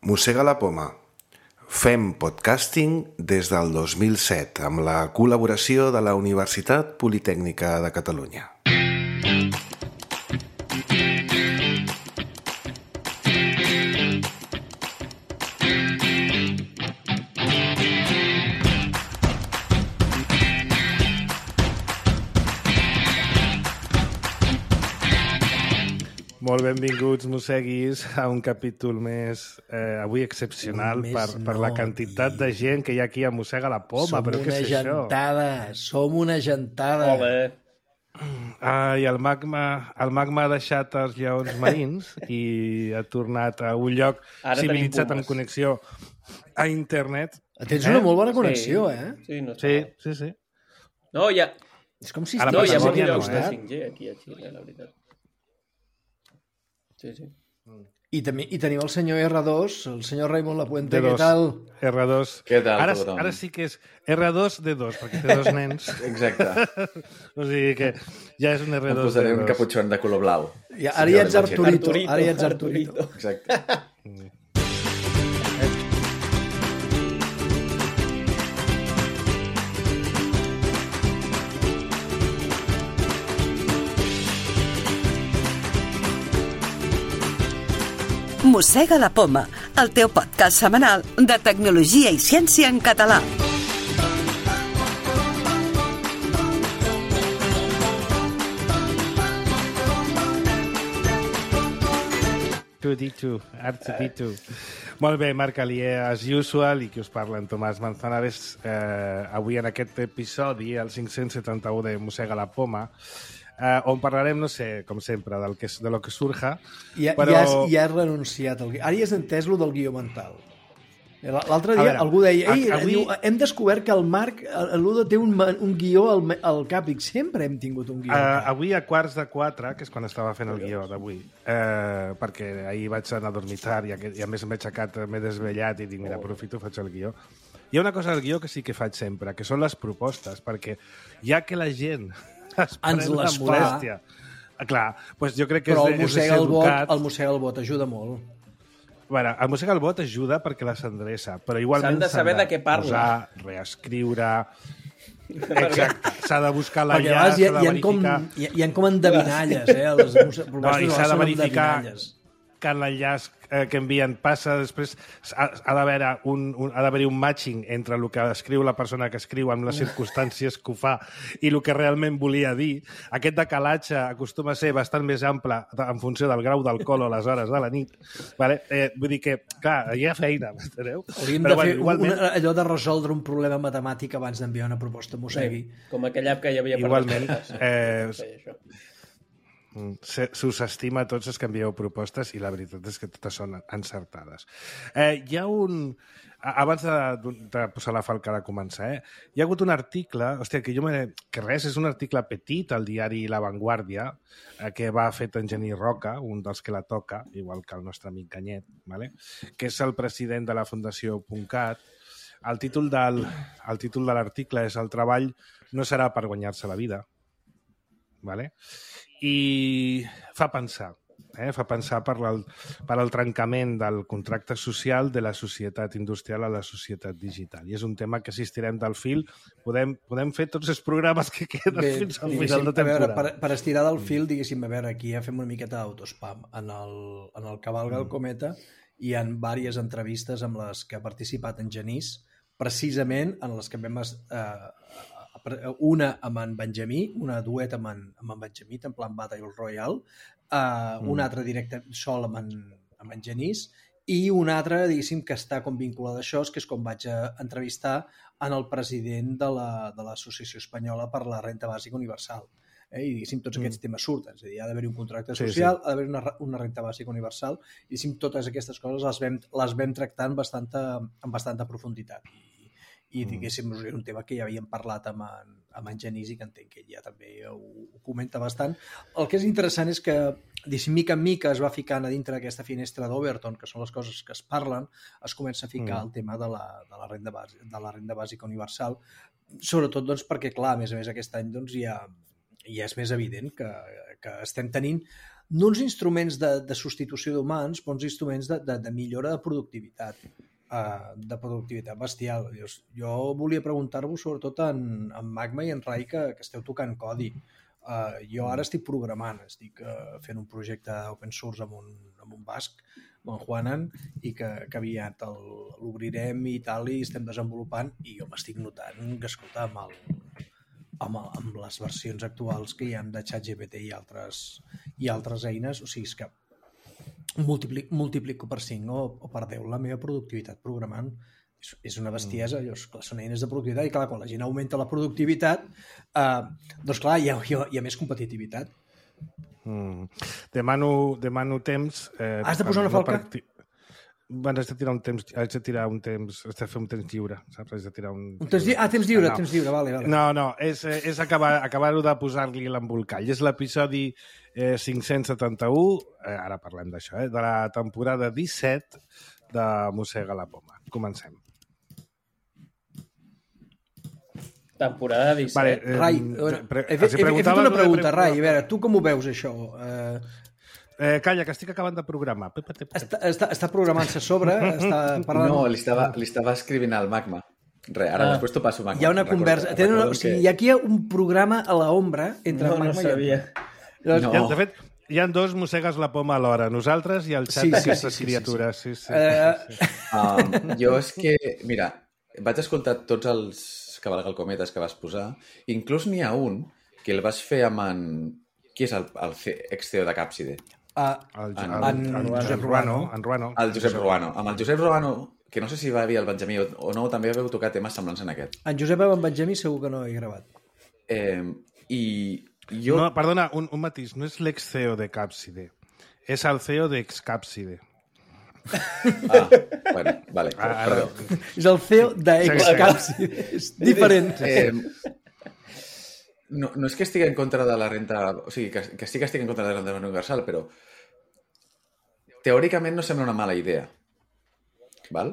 Mossega la poma. Fem podcasting des del 2007 amb la col·laboració de la Universitat Politècnica de Catalunya. Molt benvinguts, mosseguis, a un capítol més, avui excepcional per la quantitat de gent que hi ha aquí a Mossega la Poma. Però què és això? Som una gentada. I el magma ha deixat els lleons marins i ha tornat a un lloc civilitzat amb connexió a internet. Tens una molt bona connexió, eh? Sí. No, hi ha... És com si hi ha molts llocs de estat. 5G aquí a Xile, la veritat. Sí. I tenim el senyor R2, el senyor Raimon Lapuente, D2. què tal? R2. Què tal, tothom? Ara sí que és R2 D2, perquè té dos nens. Exacte. O sigui que ja és un R2 Em posaré D2. un caputxon de color blau. Ara ja ets Arturito. Ara ja ets Arturito. Exacte. Mossega la Poma, el teu podcast setmanal de tecnologia i ciència en català. R2D2. Molt bé, Marc Alier, as usual, i qui us parla en Tomàs Manzanares. Avui en aquest episodi, el 571 de Mossega la Poma, on parlarem, no sé, com sempre, de lo que surja. Ja has renunciat. Ara ja has entès lo del guió mental. L'altre dia algú deia hem descobert que el Marc Ludo té un guió al cap, i sempre hem tingut un guió al cap. Avui a 3:45, que és quan estava fent el guió d'avui, perquè ahir vaig anar a dormitar i a més m'he aixecat, m'he desvellat i dic, mira, aprofito, faig el guió. Hi ha una cosa del guió que sí que faig sempre, que són les propostes, perquè ja que la gent ens les fa. Clar, doncs jo crec que però és de ser educat. El mossega el bot ajuda molt. Bueno, el mossega el bot ajuda perquè la s'endreça, però igualment s'han de saber de què parla. Posar, reescriure... Exacte, s'ha de buscar l'enllaç, s'ha de verificar... Hi ha com endevinalles, les propostes i s'ha de verificar que l'enllaç que envien passa, després ha d'haver-hi un matching entre el que escriu la persona que escriu amb les circumstàncies que ho fa i el que realment volia dir. Aquest decalatge acostuma a ser bastant més ample en funció del grau d'alcohol o les hores de la nit. Vale? Vull dir que, clar, hi ha feina, m'enteneu? Hauríem de fer allò de resoldre un problema matemàtic abans d'enviar una proposta a Mossegui. Com aquella app que hi havia per igualment, s'us estima a tots els que envieu propostes i la veritat és que totes són encertades. Hi ha un... Abans de posar la falca de començar, hi ha hagut un article, que és un article petit al diari La Vanguardia, que va fet en Genís Roca, un dels que la toca, igual que el nostre amic Canyet, vale? Que és el president de la Fundació .cat. El títol de l'article és «El treball no serà per guanyar-se la vida». Vale? I fa pensar per al trencament del contracte social de la societat industrial a la societat digital. I és un tema que si estirem del fil podem fer tots els programes que queden fins al final de temporada. Per estirar del fil, diguéssim, a veure, aquí ja fem una miqueta d'autospam. En el Cavalga el Cometa hi ha diverses entrevistes amb les que ha participat en Genís, precisament en les que vam... una amb en Benjamí, una duet amb en Benjamí, en plan Battle Royale, una altra directe sol amb en Genís, i una altra, diguéssim, que està com vinculada a això, que és com vaig entrevistar en el president de l'Associació Espanyola per la Renta Bàsica Universal. I, diguéssim, tots aquests temes surten. És a dir, ha d'haver-hi un contracte social, ha d'haver una renta bàsica universal, i, diguéssim, totes aquestes coses les vam tractar amb bastanta profunditat. I diguéssim, és un tema que ja havíem parlat amb en Genís i que entenc que ell ja també ho comenta bastant. El que és interessant és que, diguéssim, mica en mica es va ficant a dintre d'aquesta finestra d'Overton, que són les coses que es parlen, es comença a ficar el tema de la renda bàsica universal, sobretot doncs, perquè, clar, a més aquest any doncs, ja és més evident que estem tenint no uns instruments de substitució d'humans, però uns instruments de millora de productivitat bestial. Jo volia preguntar-vos sobretot en Magma i en Rai que esteu tocant codi. Jo ara estic programant, estic fent un projecte open source amb un basc, amb en Juanan, i que aviat l'obrirem i tal, i estem desenvolupant, i jo m'estic notant que, escolta, amb les versions actuals que hi ha de ChatGPT i altres eines, o sigui, és que multiplico per 5 o per 10 la meva productivitat programant. És una bestiesa, són eines de productivitat, i clar, quan la gent augmenta la productivitat, doncs clar, hi ha més competitivitat. Demano temps... Has de posar una falca? Haig de tirar un temps, haig de fer un temps lliure, saps? Haig de tirar un... Temps lliure, vale. No, és acabar-ho de posar-li l'embolcall. És l'episodi 571, ara parlem d'això, de la temporada 17 de Mossega la Poma. Comencem. Temporada 17. Vale, Rai, he fet una pregunta, Rai. A veure, tu com ho veus, això? Calla, que estic acabant de programar. Està programant-se a sobre? Està parlant... No, li estava escrivint al Magma. Ara després t'ho passo, Magma. Hi ha una conversa. Aquí hi ha un programa a l'ombra entre Magma i... No sabia. No. De fet, hi ha dos Mossegues la Poma alhora, nosaltres i el xat d'aquestes criatures. Jo és que, mira, vaig escoltar tots els cavalgalcometes que vas posar. Inclús n'hi ha un que el vas fer amb en... Qui és el ex-CEO de Capside? Josep Ruano. El Josep Ruano. Amb el Josep Ruano, que no sé si va dir el Benjamí o no, també haveu tocat temes semblants en aquest. En Josep amb en Benjamí segur que no he gravat. I jo... No, perdona, un matís. No és l'ex-CEO de Capside. És el CEO d'Excapside. Bueno, vale. Perdó. És el CEO d'Excapside. És diferent. No és que estigui en contra de la renta... O sigui, que sí que estigui en contra de la renta universal, però teòricament no sembla una mala idea. Val?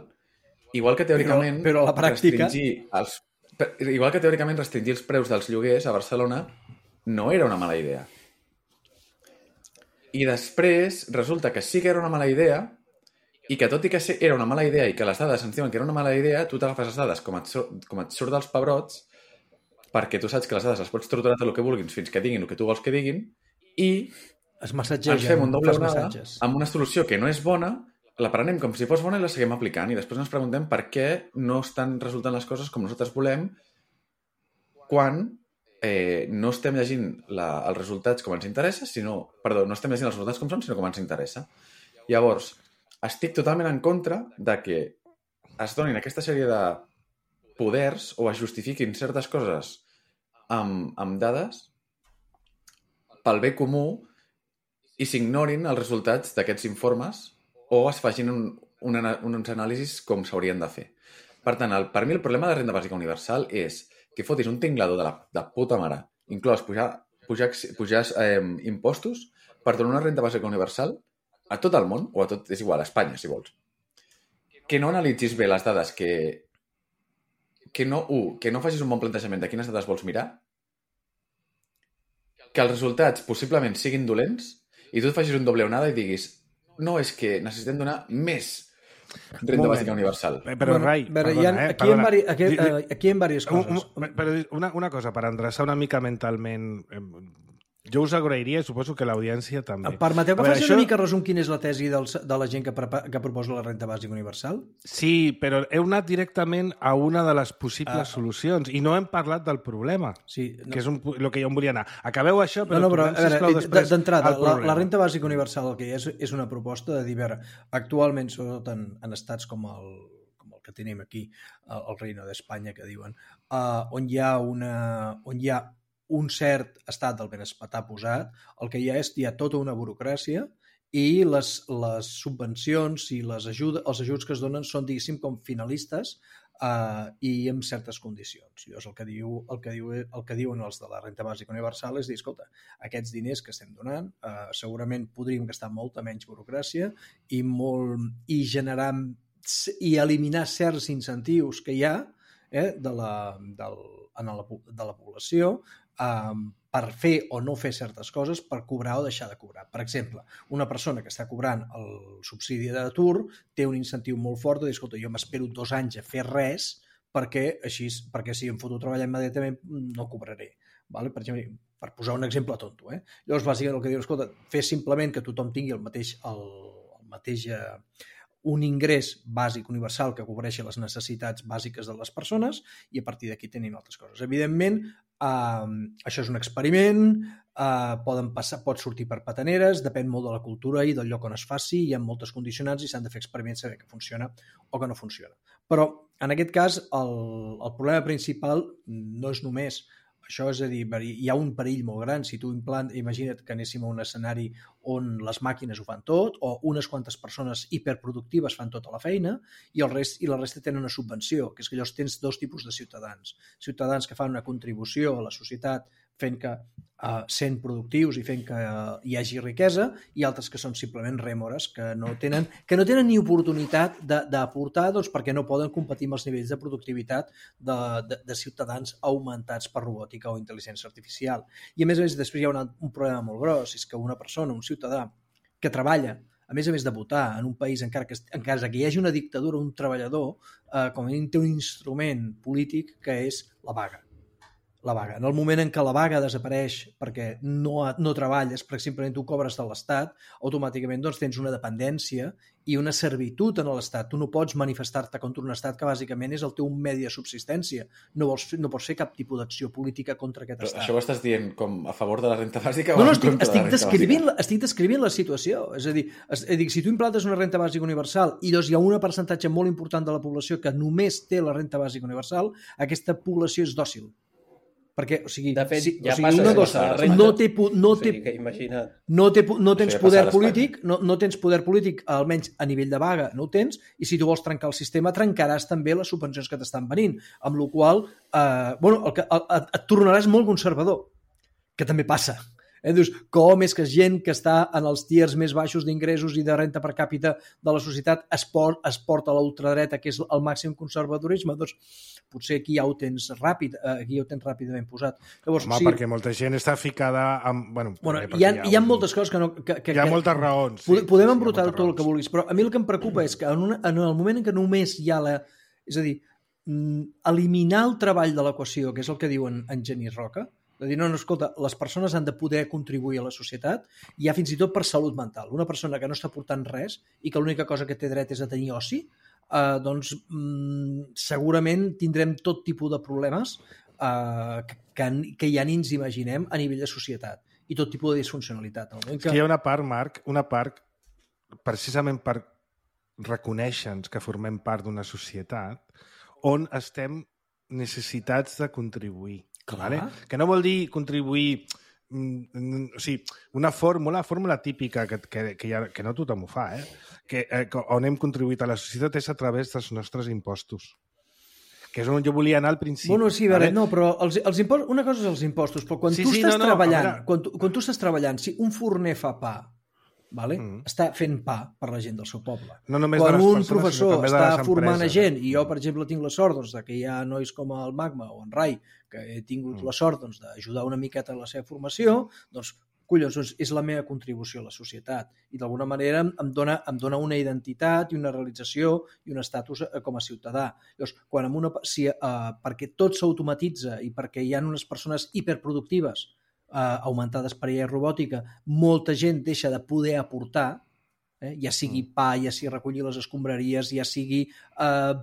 Igual que teòricament... Però a la pràctica... Igual que teòricament restringir els preus dels lloguers a Barcelona no era una mala idea. I després resulta que sí que era una mala idea i que tot i que era una mala idea i que les dades ens diuen que era una mala idea, tu t'agafes les dades com et surt dels pebrots perquè tu saps que les dades les pots torturar tot el que vulguis fins que diguin el que tu vols que diguin i ens fem un doble onada amb una solució que no és bona, la prenem com si fos bona i la seguim aplicant i després ens preguntem per què no estan resultant les coses com nosaltres volem quan no estem llegint els resultats com ens interessa, no estem llegint els resultats com són, sinó com ens interessa. Llavors, estic totalment en contra de que es donin aquesta sèrie de poders o es justifiquin certes coses amb dades pel bé comú i s'ignorin els resultats d'aquests informes o es facin uns anàlisis com s'haurien de fer. Per tant, per mi el problema de renda bàsica universal és que fotis un tinglador de puta mare, inclòs pujar impostos per donar una renda bàsica universal a tot el món, o a tot, és igual, a Espanya, si vols. Que no analitzis bé les dades, que no facis un bon plantejament de quines dades vols mirar, que els resultats possiblement siguin dolents i tu et facis un doble onada i diguis no, és que necessitem donar més renda bàsica universal. Però, Rai, perdona, aquí hi ha diverses coses. Però una cosa, per endreçar una mica mentalment... Jo us agrairia i suposo que l'audiència també. Permeteu que faci una mica resum quina és la tesi de la gent que proposa la renta bàsica universal? Sí, però heu anat directament a una de les possibles solucions i no hem parlat del problema, que és el que jo em volia anar. Acabeu això, però sisplau després d'entrada, la renta bàsica universal el que és una proposta de dir, actualment, sobretot en estats com el que tenim aquí, el Reino d'Espanya, que diuen, on hi ha un cert estat del benestar posat, el que hi ha tota una burocràcia i les subvencions i els ajuts que es donen són, diguéssim, com finalistes i amb certes condicions. Llavors, el que diuen els de la renta bàsica universal és dir, escolta, aquests diners que estem donant segurament podríem gastar molta menys burocràcia i generar i eliminar certs incentius que hi ha de la població per fer o no fer certes coses, per cobrar o deixar de cobrar. Per exemple, una persona que està cobrant el subsidi d'atur té un incentiu molt fort de dir, escolta, jo m'espero 2 anys a fer res perquè si em foto a treballar immediatament no cobraré. Vale? Per exemple, per posar un exemple tonto. Llavors, bàsicament, el que diu, escolta, fer simplement que tothom tingui el mateix un ingrés bàsic universal que cobreixi les necessitats bàsiques de les persones i a partir d'aquí tenim altres coses. Evidentment, això és un experiment, pot sortir per petaneres, depèn molt de la cultura i del lloc on es faci, hi ha moltes condicionants i s'han de fer experiments saber que funciona o que no funciona. Però, en aquest cas, el problema principal no és només això, és a dir, hi ha un perill molt gran. Si tu imagina't que anéssim a un escenari on les màquines ho fan tot o unes quantes persones hiperproductives fan tota la feina i la resta tenen una subvenció, que és que llavors tens 2 tipus de ciutadans. Ciutadans que fan una contribució a la societat fent que sent productius i fent que hi hagi riquesa i altres que són simplement rèmores que no tenen ni oportunitat d'aportar perquè no poden competir amb els nivells de productivitat de ciutadans augmentats per robòtica o intel·ligència artificial. I a més després hi ha un problema molt gros, és que una persona, un ciutadà que treballa a més de votar en un país en cas que hi hagi una dictadura, un treballador com a mínim té un instrument polític que és la vaga. La vaga. En el moment en què la vaga desapareix perquè no treballes, perquè simplement tu cobres de l'Estat, automàticament tens una dependència i una servitud en l'Estat. Tu no pots manifestar-te contra un Estat que bàsicament és el teu medi de subsistència. No pots fer cap tipus d'acció política contra aquest Estat. Això ho estàs dient com a favor de la renta bàsica o en contra de la renta bàsica? Estic descrivint la situació. És a dir, si tu implantes una renta bàsica universal i doncs hi ha un percentatge molt important de la població que només té la renta bàsica universal, aquesta població és dòcil. Perquè, o sigui, de fet, no tens poder polític, no tens poder polític, almenys a nivell de vaga, no ho tens, i si tu vols trencar el sistema, trencaràs també les subvencions que t'estan venint, amb la qual et tornaràs molt conservador, que també passa. Dius, com és que gent que està en els tiers més baixos d'ingressos i de renta per càpita de la societat es porta a l'ultradreta, que és el màxim conservadorisme? Doncs potser aquí ja ho tens ràpidament posat. Llavors, perquè molta gent està ficada amb... Hi ha moltes coses que no... Hi ha moltes raons. Podem embrutar tot el que vulguis, però a mi el que em preocupa és que en el moment en què només hi ha és a dir, eliminar el treball de l'equació, que és el que diuen en Genís Roca, de dir, no, escolta, les persones han de poder contribuir a la societat, i ja fins i tot per salut mental. Una persona que no està portant res i que l'única cosa que té dret és a tenir oci, doncs segurament tindrem tot tipus de problemes que ja ni ens imaginem a nivell de societat i tot tipus de disfuncionalitat. Hi ha una part, Marc, precisament per reconèixer-nos que formem part d'una societat on estem necessitats de contribuir. Vale? Que no vol dir contribuir, o sigui, una fórmula típica que no tothom ho fa, que on hem contribuït a la societat és a través dels nostres impostos, que és on jo volia anar al principi. Bueno, sí, vale? No, però els impostos, una cosa és els impostos, però quan tu estàs treballant, si un forner fa pa, vale? Està fent pa per la gent del seu poble. No quan un professor està formant a gent, i jo, per exemple, tinc la sort que hi ha nois com el Magma o en Rai, que he tingut la sort d'ajudar una miqueta en la seva formació, doncs, collons, és la meva contribució a la societat. I d'alguna manera em dona una identitat i una realització i un estatus com a ciutadà. Llavors, perquè tot s'automatitza i perquè hi ha unes persones hiperproductives augmentades per IA i robòtica, molta gent deixa de poder aportar, ja sigui pa, ja sigui recollir les escombraries, ja sigui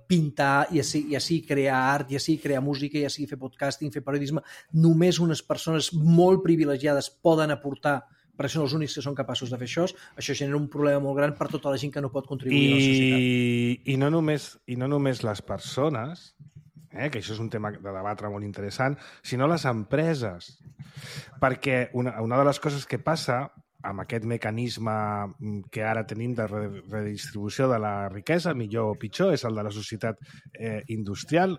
pintar, ja sigui crear art, ja sigui crear música, ja sigui fer podcasting, fer periodisme. Només unes persones molt privilegiades poden aportar, perquè són els únics que són capaços de fer això. Això genera un problema molt gran per tota la gent que no pot contribuir a la societat. I no només les persones, que això és un tema de debatre molt interessant, sinó les empreses. Perquè una de les coses que passa amb aquest mecanisme que ara tenim de redistribució de la riquesa, millor o pitjor, és el de la societat industrial,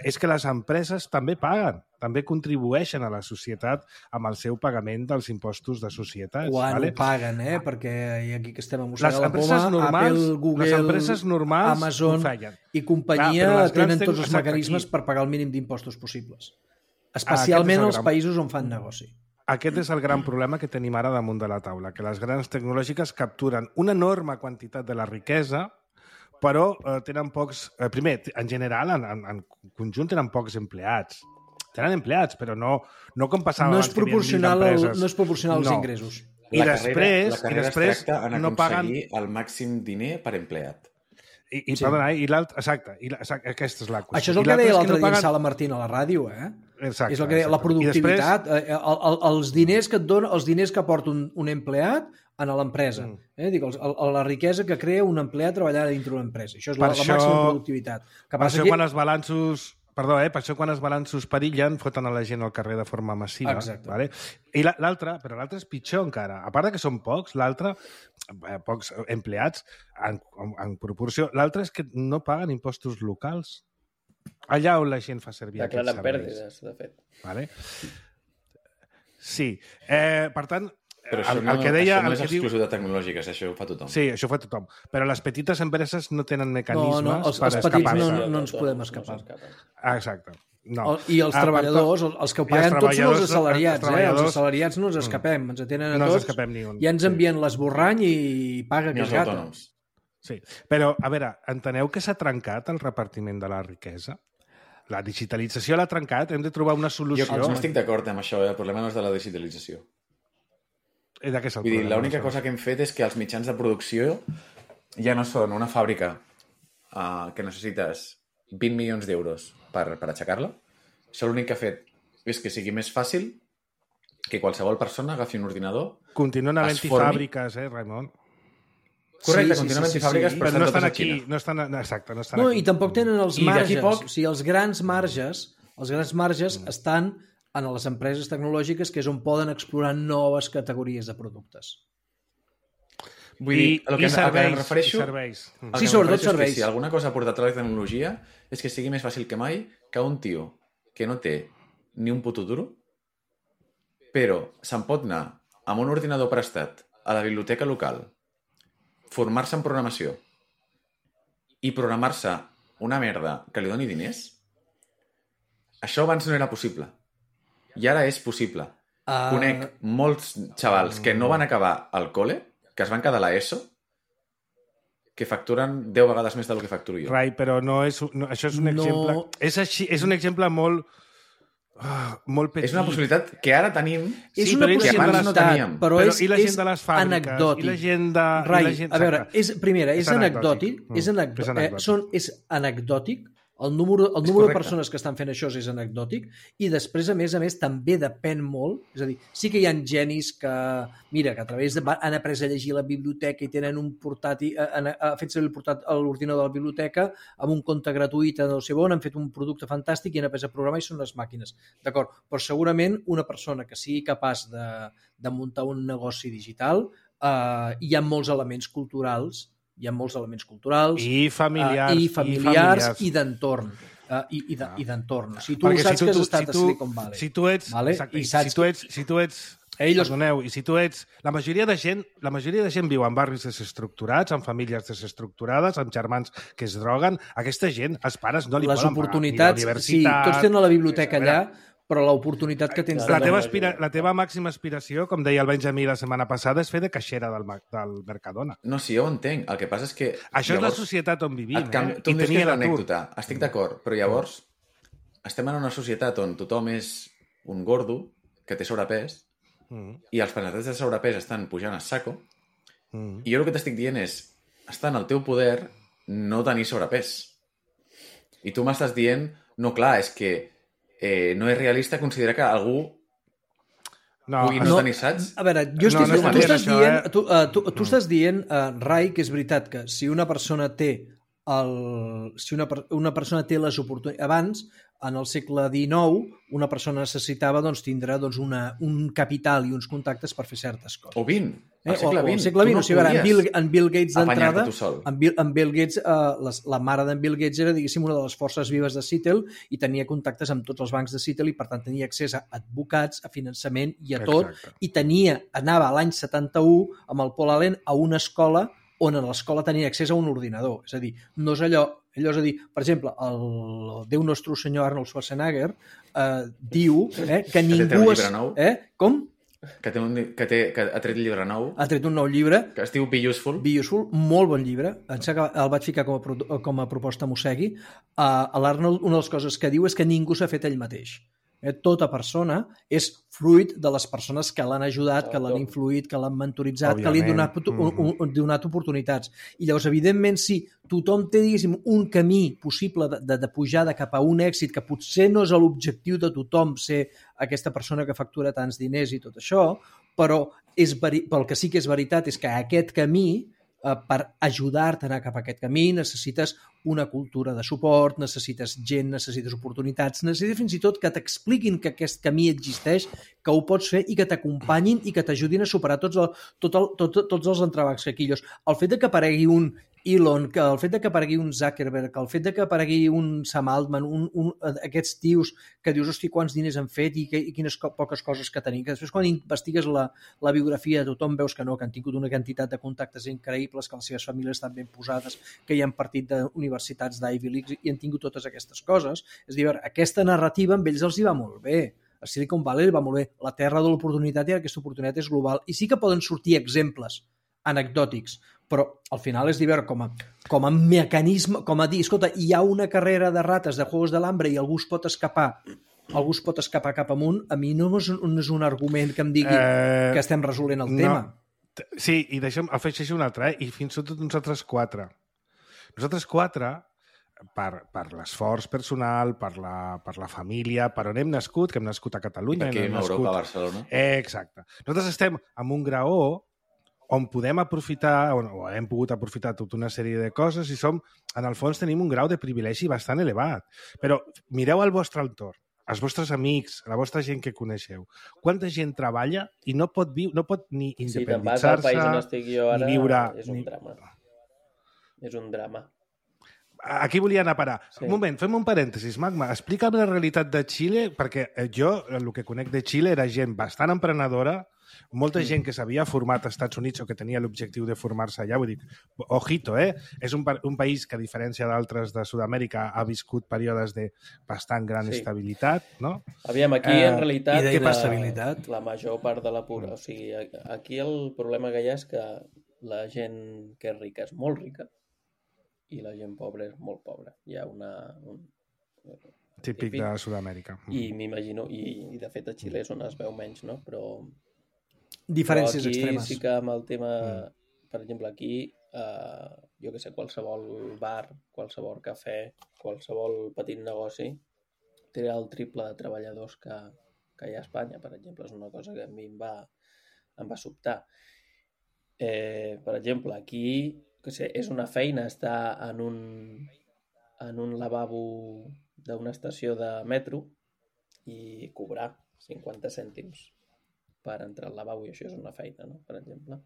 és que les empreses també paguen, també contribueixen a la societat amb el seu pagament dels impostos de societats. Quan ho paguen, perquè aquí que estem a mossegar la poma, Apple, Google, Amazon i companyia tenen tots els mecanismes per pagar el mínim d'impostos possibles. Especialment als països on fan negoci. Aquest és el gran problema que tenim ara damunt de la taula, que les grans tecnològiques capturen una enorme quantitat de la riquesa, però tenen pocs... primer, en general, en conjunt, tenen pocs empleats. Tenen empleats, però no com passava No abans és que hi havia 1000 empreses. no és proporcional als ingressos. I després, la carrera es tracta en no paguen... aconseguir el màxim diner per empleat. Perdona, i l'altre... Exacte, aquesta és la qüestió. Això és el que deia l'altre dia en Sala Martín a la ràdio, Exacte. És el que deia, la productivitat, els diners que et dona, els diners que aporta un empleat a l'empresa. Dic, la riquesa que crea un empleat treballant dintre una empresa. Això és la màxima productivitat. Per això quan els balanços... Perdó, per això quan els balanços perillen foten a la gent al carrer de forma massiva. Exacte. Vale? I l'altre és pitjor encara. A part que són pocs, l'altre, pocs empleats en proporció, l'altre és que no paguen impostos locals. Allà on la gent fa servir aquests serveis. Declaren pèrdues, de fet. Vale? Sí. Per tant, però això no és exclusiu de tecnològiques, això ho fa tothom. Sí, això ho fa tothom. Però les petites empreses no tenen mecanismes per escapar-se. Els petits no ens podem escapar. Exacte. No. I els treballadors, els que ho paguen tots són els assalariats. Els assalariats no ens escapem, ens atenen a tots. Ja ens envien l'esborrany i paga que gata. Sí, però, a veure, enteneu que s'ha trencat el repartiment de la riquesa? La digitalització l'ha trencat, hem de trobar una solució. Jo no estic d'acord amb això, el problema no és de la digitalització. Vull dir, l'única cosa que hem fet és que els mitjans de producció ja no són una fàbrica que necessites 20 milions d'euros per aixecar-la. Això l'únic que ha fet és que sigui més fàcil que qualsevol persona agafi un ordinador, continuen havent-hi fàbriques, Raimon? Correcte, continuen havent-hi fàbriques, però no estan aquí. Exacte, no estan aquí. I tampoc tenen els marges. O sigui, els grans marges estan en les empreses tecnològiques, que és on poden explorar noves categories de productes. Vull dir, el que em refereixo... Sí, sobretot serveis. Si alguna cosa ha portat a la tecnologia és que sigui més fàcil que mai que un tio que no té ni un puto duro, però se'n pot anar amb un ordinador prestat a la biblioteca local, formar-se en programació i programar-se una merda que li doni diners, això abans no era possible. I ara és possible. Conec molts xavals que no van acabar al col·le, que es van quedar a l'ESO, que facturen 10 vegades més del que facturo jo. Rai, però això és un exemple... És un exemple molt petit. És una possibilitat que ara tenim, és una que abans no teníem. Però i la gent de les fàbriques, anecdòtic. I la gent de... Rai, a veure, és anecdòtic. És anecdòtic. El número de persones que estan fent això és anecdòtic i després, a més, també depèn molt. És a dir, sí que hi ha genis que, mira, que a través han après a llegir la biblioteca i tenen un portàtil, han fet servir l'ordinador de la biblioteca amb un compte gratuït a no sé on, han fet un producte fantàstic i han après a programar i són les màquines. D'acord, però segurament una persona que sigui capaç de muntar un negoci digital, hi ha molts elements culturals i familiars i d'entorn. I d'entorn. Si tu saps que has estat a Silicon Valley. Si tu ets... Perdoneu, i si tu ets... La majoria de gent viu en barris desestructurats, en famílies desestructurades, amb germans que es droguen. Aquesta gent, els pares no li poden pagar ni la universitat... Sí, tots tenen la biblioteca allà, però l'oportunitat que tens... La teva màxima aspiració, com deia el Benjamí la setmana passada, és fer de caixera del Mercadona. No, sí, jo ho entenc. El que passa és que... Això és la societat on vivim. Tu em dius que és l'anècdota. Estic d'acord, però llavors estem en una societat on tothom és un gordo que té sobrepès i els percentatges de sobrepès estan pujant a saco i jo el que t'estic dient és està en el teu poder no tenir sobrepès. I tu m'estàs dient, no, clar, és que no és realista considerar que algú pugui no tenir saps? A veure, tu estàs dient, Rai, que és veritat que si una persona té una persona té les oportunitats... Abans, en el segle XIX, una persona necessitava tindre un capital i uns contactes per fer certes coses. O 20. Al segle XX. Segle XX. O sigui, en Bill Gates d'entrada... En Bill Gates, la mare d'en Bill Gates era, diguéssim, una de les forces vives de Seattle i tenia contactes amb tots els bancs de Seattle i, per tant, tenia accés a advocats, a finançament i a tot. I anava a l'any 71 amb el Paul Allen a una escola on a l'escola tenien accés a un ordinador. És a dir, no és allò és a dir, per exemple, el Déu nostre senyor Arnold Schwarzenegger diu que ningú... Com? Que ha tret llibre nou. Ha tret un nou llibre. Que es diu Be Useful. Be Useful, molt bon llibre. El vaig ficar com a proposta Mossegui. L'Arnold, una de les coses que diu és que ningú s'ha fet ell mateix. Tota persona és fruit de les persones que l'han ajudat, que l'han influït, que l'han mentoritzat, que li han donat oportunitats. I llavors, evidentment, si tothom té, diguéssim, un camí possible de pujada cap a un èxit que potser no és l'objectiu de tothom ser aquesta persona que factura tants diners i tot això, però el que sí que és veritat és que aquest camí, per ajudar-te a anar cap a aquest camí, necessites una cultura de suport, necessites gent, necessites oportunitats, necessites fins i tot que t'expliquin que aquest camí existeix, que ho pots fer i que t'acompanyin i que t'ajudin a superar tots els entrebancs quequillos. El fet de que aparegui un Elon, que el fet de que aparegui un Zuckerberg, el fet de que aparegui un Sam Altman, aquests tios que dius, hosti, quants diners han fet i quines poques coses que tenim, que després quan investigues la biografia de tothom veus que no, que han tingut una quantitat de contactes increïbles, que les seves famílies estan ben posades, que hi han partit d'universitats d'Ivy League i han tingut totes aquestes coses. És a dir, aquesta narrativa amb ells els hi va molt bé. A Silicon Valley va molt bé. La terra de l'oportunitat i aquesta oportunitat és global. I sí que poden sortir exemples anecdòtics, però al final és dir, com a mecanisme, com a dir, escolta, hi ha una carrera de rates de Juegos de l'Hambre i algú es pot escapar cap amunt, a mi no és un argument que em digui que estem resolent el tema. Sí, i afegeixo un altre, i fins i tot nosaltres quatre. Nosaltres quatre, per l'esforç personal, per la família, per on hem nascut, que hem nascut a Catalunya. Aquí a Europa, a Barcelona. Exacte. Nosaltres estem en un graó on podem aprofitar, o hem pogut aprofitar tota una sèrie de coses i en el fons tenim un grau de privilegi bastant elevat. Però mireu al vostre entorn, els vostres amics, la vostra gent que coneixeu. Quanta gent treballa i no pot ni independitzar-se, si te'n vas al país on estic jo ara, ni viure... És un drama. És un drama. Aquí volia anar a parar. Sí. Un moment, fem un parèntesis, Magma. Explica'm la realitat de Xile, perquè jo el que conec de Xile era gent bastant emprenedora, molta gent que s'havia format als Estats Units o que tenia l'objectiu de formar-se allà. Vull dir, ojito, és un país que, a diferència d'altres de Sud-amèrica, ha viscut períodes de bastant gran estabilitat, no? Aviam, aquí, en realitat, la major part de la pura... O sigui, aquí el problema que hi ha és que la gent que és rica és molt rica i la gent pobra és molt pobra. Hi ha típic de Sud-amèrica. I m'imagino, i de fet a Xile és on es veu menys, no? Però diferències aquí extremes. Sí que amb el tema, per exemple, aquí, jo que sé, qualsevol bar, qualsevol cafè, qualsevol petit negoci, té el triple de treballadors que hi ha a Espanya, per exemple. És una cosa que a mi em va sobtar. Per exemple, aquí, que sé, és una feina estar en un lavabo d'una estació de metro i cobrar 50 cèntims per entrar al lavabo, i això és una feina, no? Per exemple.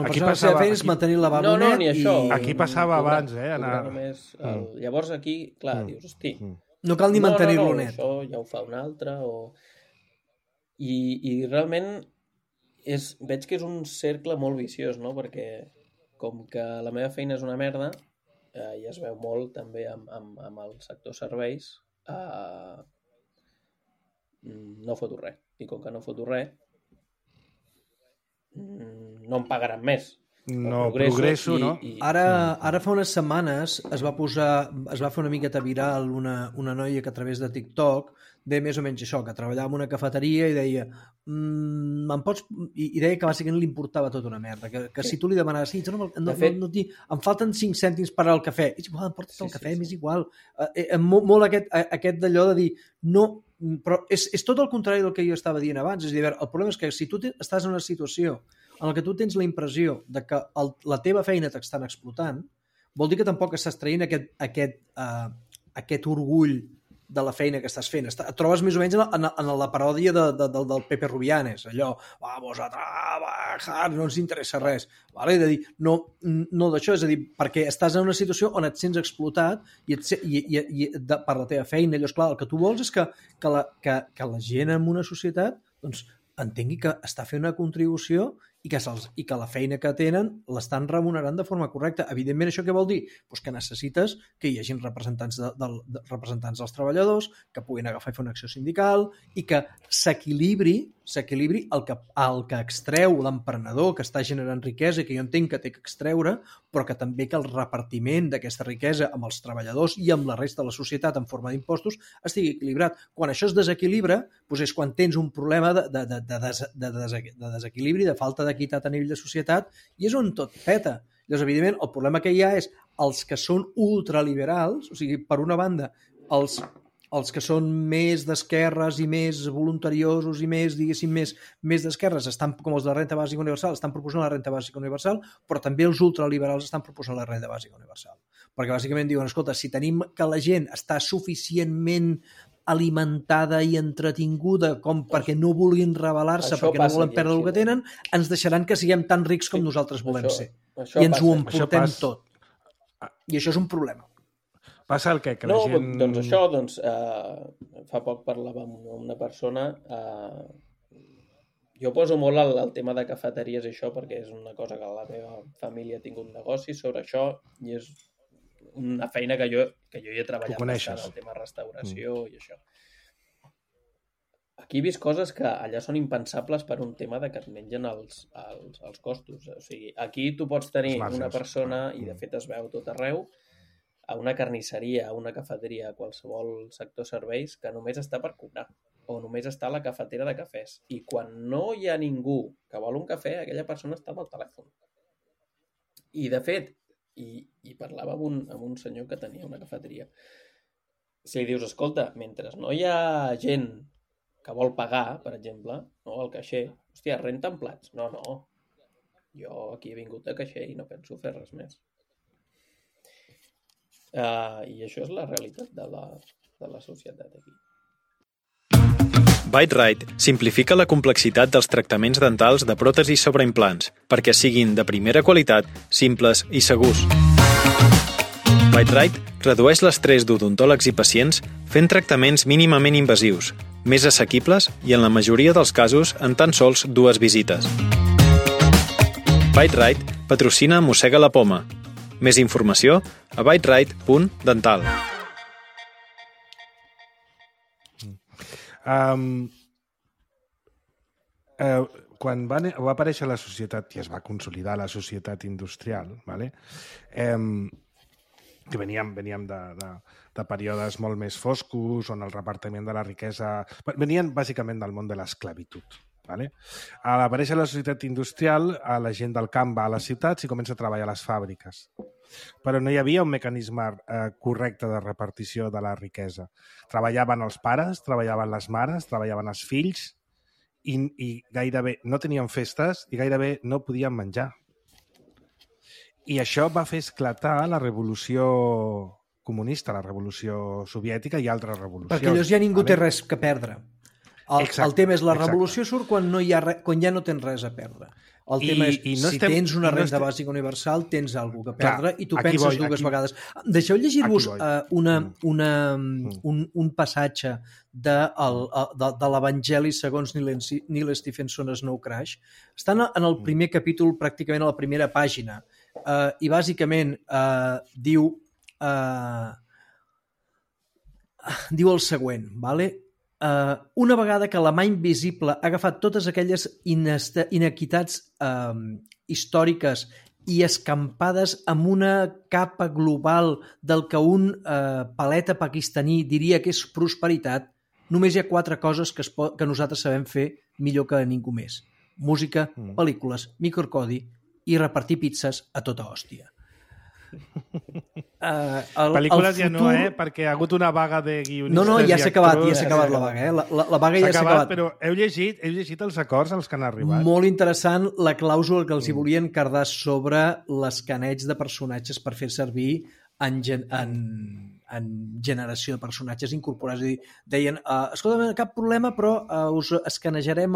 Aquí passava... és mantenir el lavabo net ni això. Aquí passava abans, Només llavors aquí, clar, dius, hosti... No cal ni mantenir-lo net. Això ja ho fa un altre, I realment veig que és un cercle molt viciós, no? Perquè com que la meva feina és una merda, i es veu molt també amb el sector serveis, no foto res. I com que no foto res, no em pagaran més. No progresso, no? Ara fa unes setmanes es va fer una miqueta viral una noia que a través de TikTok deia més o menys això, que treballava en una cafeteria i deia i deia que bàsicament li importava tota una merda, que si tu li demanaves em falten 5 cèntims per al cafè, és igual, em portes el cafè, m'és igual. Molt aquest d'allò de dir no, però és tot el contrari del que jo estava dient abans. És a dir, el problema és que si tu estàs en una situació en la que tu tens la impressió de que la teva feina t'estan explotant, vol dir que tampoc estàs traient aquest orgull de la feina que estàs fent. Et trobes més o menys en la paròdia del Pepe Rubianes, allò, vamos a trabajar, no ens interessa res. Vale? És a dir, no d'això, és a dir, perquè estàs en una situació on et sents explotat per la teva feina. Llavors, clar, el que tu vols és que la gent en una societat doncs, entengui que està fent una contribució i que la feina que tenen l'estan remunerant de forma correcta. Evidentment, això què vol dir? Pues que necessites que hi hagin representants dels treballadors, que puguin agafar i fer una acció sindical i que s'equilibri el que extreu l'emprenedor que està generant riquesa i que jo entenc que té que extreure, però que també que el repartiment d'aquesta riquesa amb els treballadors i amb la resta de la societat en forma d'impostos estigui equilibrat. Quan això es desequilibra, doncs és quan tens un problema de desequilibri, de falta d'equitat a nivell de societat, i és on tot peta. Llavors, evidentment, el problema que hi ha és els que són ultraliberals, o sigui, per una banda, els que són més d'esquerres i més voluntariosos i més, diguéssim, més d'esquerres, estan, com els de la renta bàsica universal, estan proposant la renta bàsica universal, però també els ultraliberals estan proposant la renta bàsica universal. Perquè bàsicament diuen, escolta, si tenim que la gent està suficientment alimentada i entretinguda com perquè no vulguin rebel·lar-se, perquè no volen perdre el que tenen, ens deixaran que siguem tan rics com nosaltres volem ser. I ens ho emportem tot. I això és un problema. Passa el que la gent... Doncs això, fa poc parlava amb una persona, jo poso molt el tema de cafeteries i això perquè és una cosa que la meva família ha tingut negoci sobre això i és una feina que jo hi he treballat bastant, el tema restauració i això. Aquí he vist coses que allà són impensables per un tema de que et mengen els costos. O sigui, aquí tu pots tenir una persona, i de fet es veu tot arreu, a una carnisseria, a una cafeteria, a qualsevol sector serveis, que només està per cobrar, o només està a la cafetera de cafès. I quan no hi ha ningú que vol un cafè, aquella persona està amb el telèfon. I de fet, i parlava amb un senyor que tenia una cafeteria. Si li dius, escolta, mentre no hi ha gent que vol pagar, per exemple, no, el caixer, hòstia, renten plats. No, jo aquí he vingut de caixer i no penso fer res més. I això és la realitat de la societat aquí. Bite-Right simplifica la complexitat dels tractaments dentals de pròtesis sobre implants perquè siguin de primera qualitat, simples i segurs. Bite-Right redueix l'estrès d'odontòlegs i pacients fent tractaments mínimament invasius, més assequibles i, en la majoria dels casos, en tan sols 2 visites. Bite-Right patrocina Mossega la Poma. Més informació a biteright.dental. Quan va aparèixer la societat i es va consolidar la societat industrial, vale? Que veníem de períodes molt més foscos, on el repartiment de la riquesa... Venien bàsicament del món de l'esclavitud. Vale? A l'aparèixer la societat industrial, la gent del camp va a les ciutats i comença a treballar a les fàbriques. Però no hi havia un mecanisme correcte de repartició de la riquesa. Treballaven els pares, treballaven les mares, treballaven els fills i gairebé no tenien festes i gairebé no podien menjar. I això va fer esclatar la revolució comunista, la revolució soviètica i altres revolucions. Perquè llavors ja ningú té res que perdre. El tema és la revolució surt quan ja no tens res a perdre. El tema és, si tens una renda bàsica universal, tens alguna cosa a perdre i tu penses dues vegades. Deixeu llegir-vos un passatge de l'Evangeli segons Neil Stephenson a Snow Crash. Estan en el primer capítol, pràcticament a la primera pàgina, i bàsicament diu el següent, vale? Una vegada que la mà invisible ha agafat totes aquelles inequitats històriques i escampades amb una capa global del que un paleta pakistaní diria que és prosperitat, només hi ha 4 coses que nosaltres sabem fer millor que ningú més. Música, pel·lícules, microcodi i repartir pizzas a tota hòstia. Pel·lícules ja no, perquè ha hagut una vaga de guionistes. No, ja s'ha acabat la vaga. La vaga ja s'ha acabat. Però heu llegit els acords als que han arribat? Molt interessant la clàusula que els hi volien cardar sobre l'escaneig de personatges per fer servir en generació de personatges incorporats. És a dir, deien, escolta, cap problema, però us escanejarem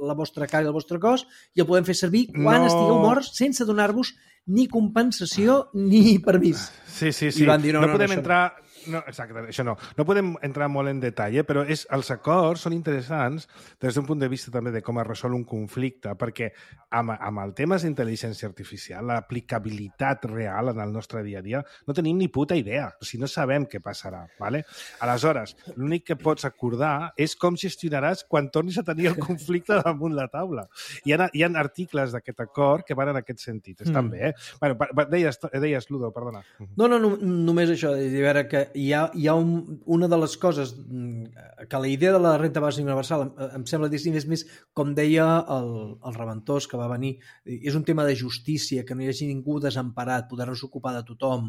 la vostra cara i el vostre cos i el podem fer servir quan estigueu morts sense donar-vos ni compensació ni permís. Sí. I van dir, no podem entrar No, exacte, això no. No podem entrar molt en detall, però els acords són interessants des d'un punt de vista també de com es resol un conflicte, perquè amb el tema d'intel·ligència artificial, l'aplicabilitat real en el nostre dia a dia, no tenim ni puta idea, o sigui, no sabem què passarà. ¿Vale? Aleshores, l'únic que pots acordar és com gestionaràs quan tornis a tenir el conflicte damunt la taula. Hi ha articles d'aquest acord que van en aquest sentit. Estan bé, eh? Bueno, deies, Ludo, perdona. No, només això, de veure que hi ha una de les coses que la idea de la renta bàsica universal em sembla distinta, és més, com deia el Reventós que va venir, és un tema de justícia, que no hi hagi ningú desemparat, poder-nos ocupar de tothom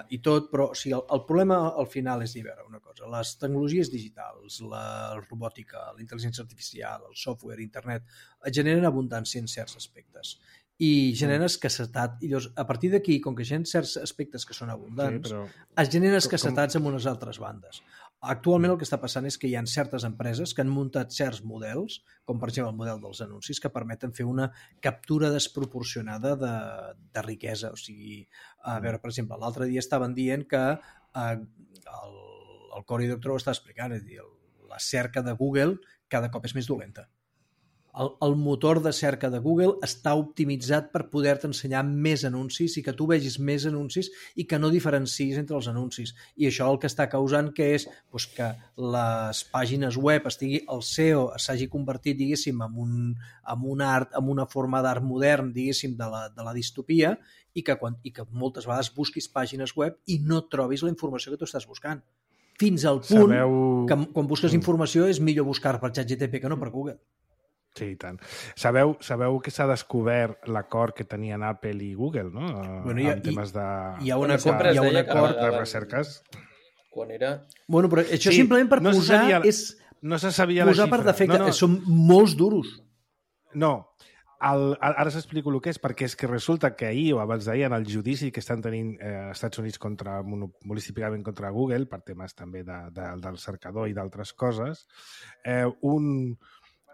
i tot, però o sigui, el problema al final és dir, a veure, una cosa, les tecnologies digitals, la robòtica, la intel·ligència artificial, el software, internet, generen abundància en certs aspectes i generen escassetat. I llavors, a partir d'aquí, com que generen certs aspectes que són abundants, es generen escassetats en unes altres bandes. Actualment el que està passant és que hi ha certes empreses que han muntat certs models, com per exemple el model dels anuncis, que permeten fer una captura desproporcionada de riquesa. O sigui, a veure, per exemple, l'altre dia estaven dient que el Cory Doctorow ho està explicant, és a dir, la cerca de Google cada cop és més dolenta. El motor de cerca de Google està optimitzat per poder-te ensenyar més anuncis i que tu vegis més anuncis i que no diferencis entre els anuncis. I això el que està causant que és que les pàgines web el SEO s'hagi convertit, diguéssim, en una forma d'art modern, diguéssim, de la distopia i que moltes vegades busquis pàgines web i no trobis la informació que tu estàs buscant. Fins al punt que quan busques informació és millor buscar per ChatGPT que no per Google. Sí, i tant. Sabeu que s'ha descobert l'acord que tenien Apple i Google, no? Bueno, en temes de... Hi ha un acord de recerques. Quan era... Bueno, però això simplement per posar... No se sabia la xifra. Posar per defecte. Són molts duros. No. Ara s'explico el que és, perquè és que resulta que ahir o abans d'ahir en el judici que estan tenint Estats Units monolísticament contra Google, per temes també del cercador i d'altres coses,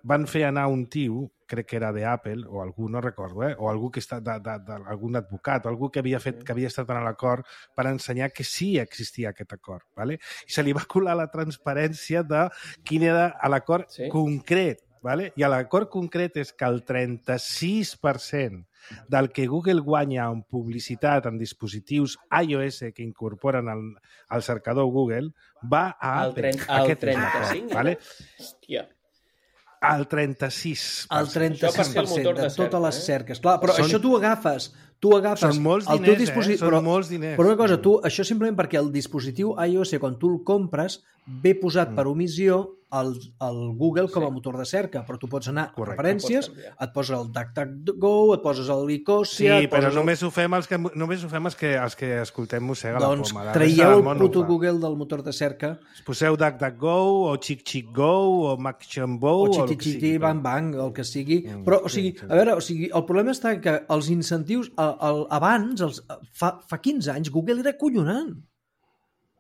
van fer anar un tio, crec que era d'Apple, o algú, no recordo, o algú que està algun advocat, o algú que havia estat en l'acord per ensenyar que sí existia aquest acord, ¿vale? I se li va colar la transparència de quin era l'acord concret, ¿vale? I l'acord concret és que el 36% del que Google guanya en publicitat en dispositius iOS que incorporen al cercador Google va a Apple. El 35%? ¿Vale? Hòstia. El 36%. El 36% de totes les cerques. Clar, però això tu agafes són molts diners, són molts diners. Però una cosa, això simplement perquè el dispositiu iOS, quan tu el compres, ve posat per omissió al Google com a motor de cerca, però tu pots anar a preferències, et poses el DuckDuckGo, et poses el Ecosia... Sí, però només ho fem els que escoltem Mossega la Poma. Doncs traieu el puto Google del motor de cerca. Poseu DuckDuckGo, o ChickChickGo, o MacChambo... O Chiqui Bang Bang, el que sigui. Però, o sigui, a veure, el problema està que els incentius... Abans, fa 15 anys, Google era acollonant.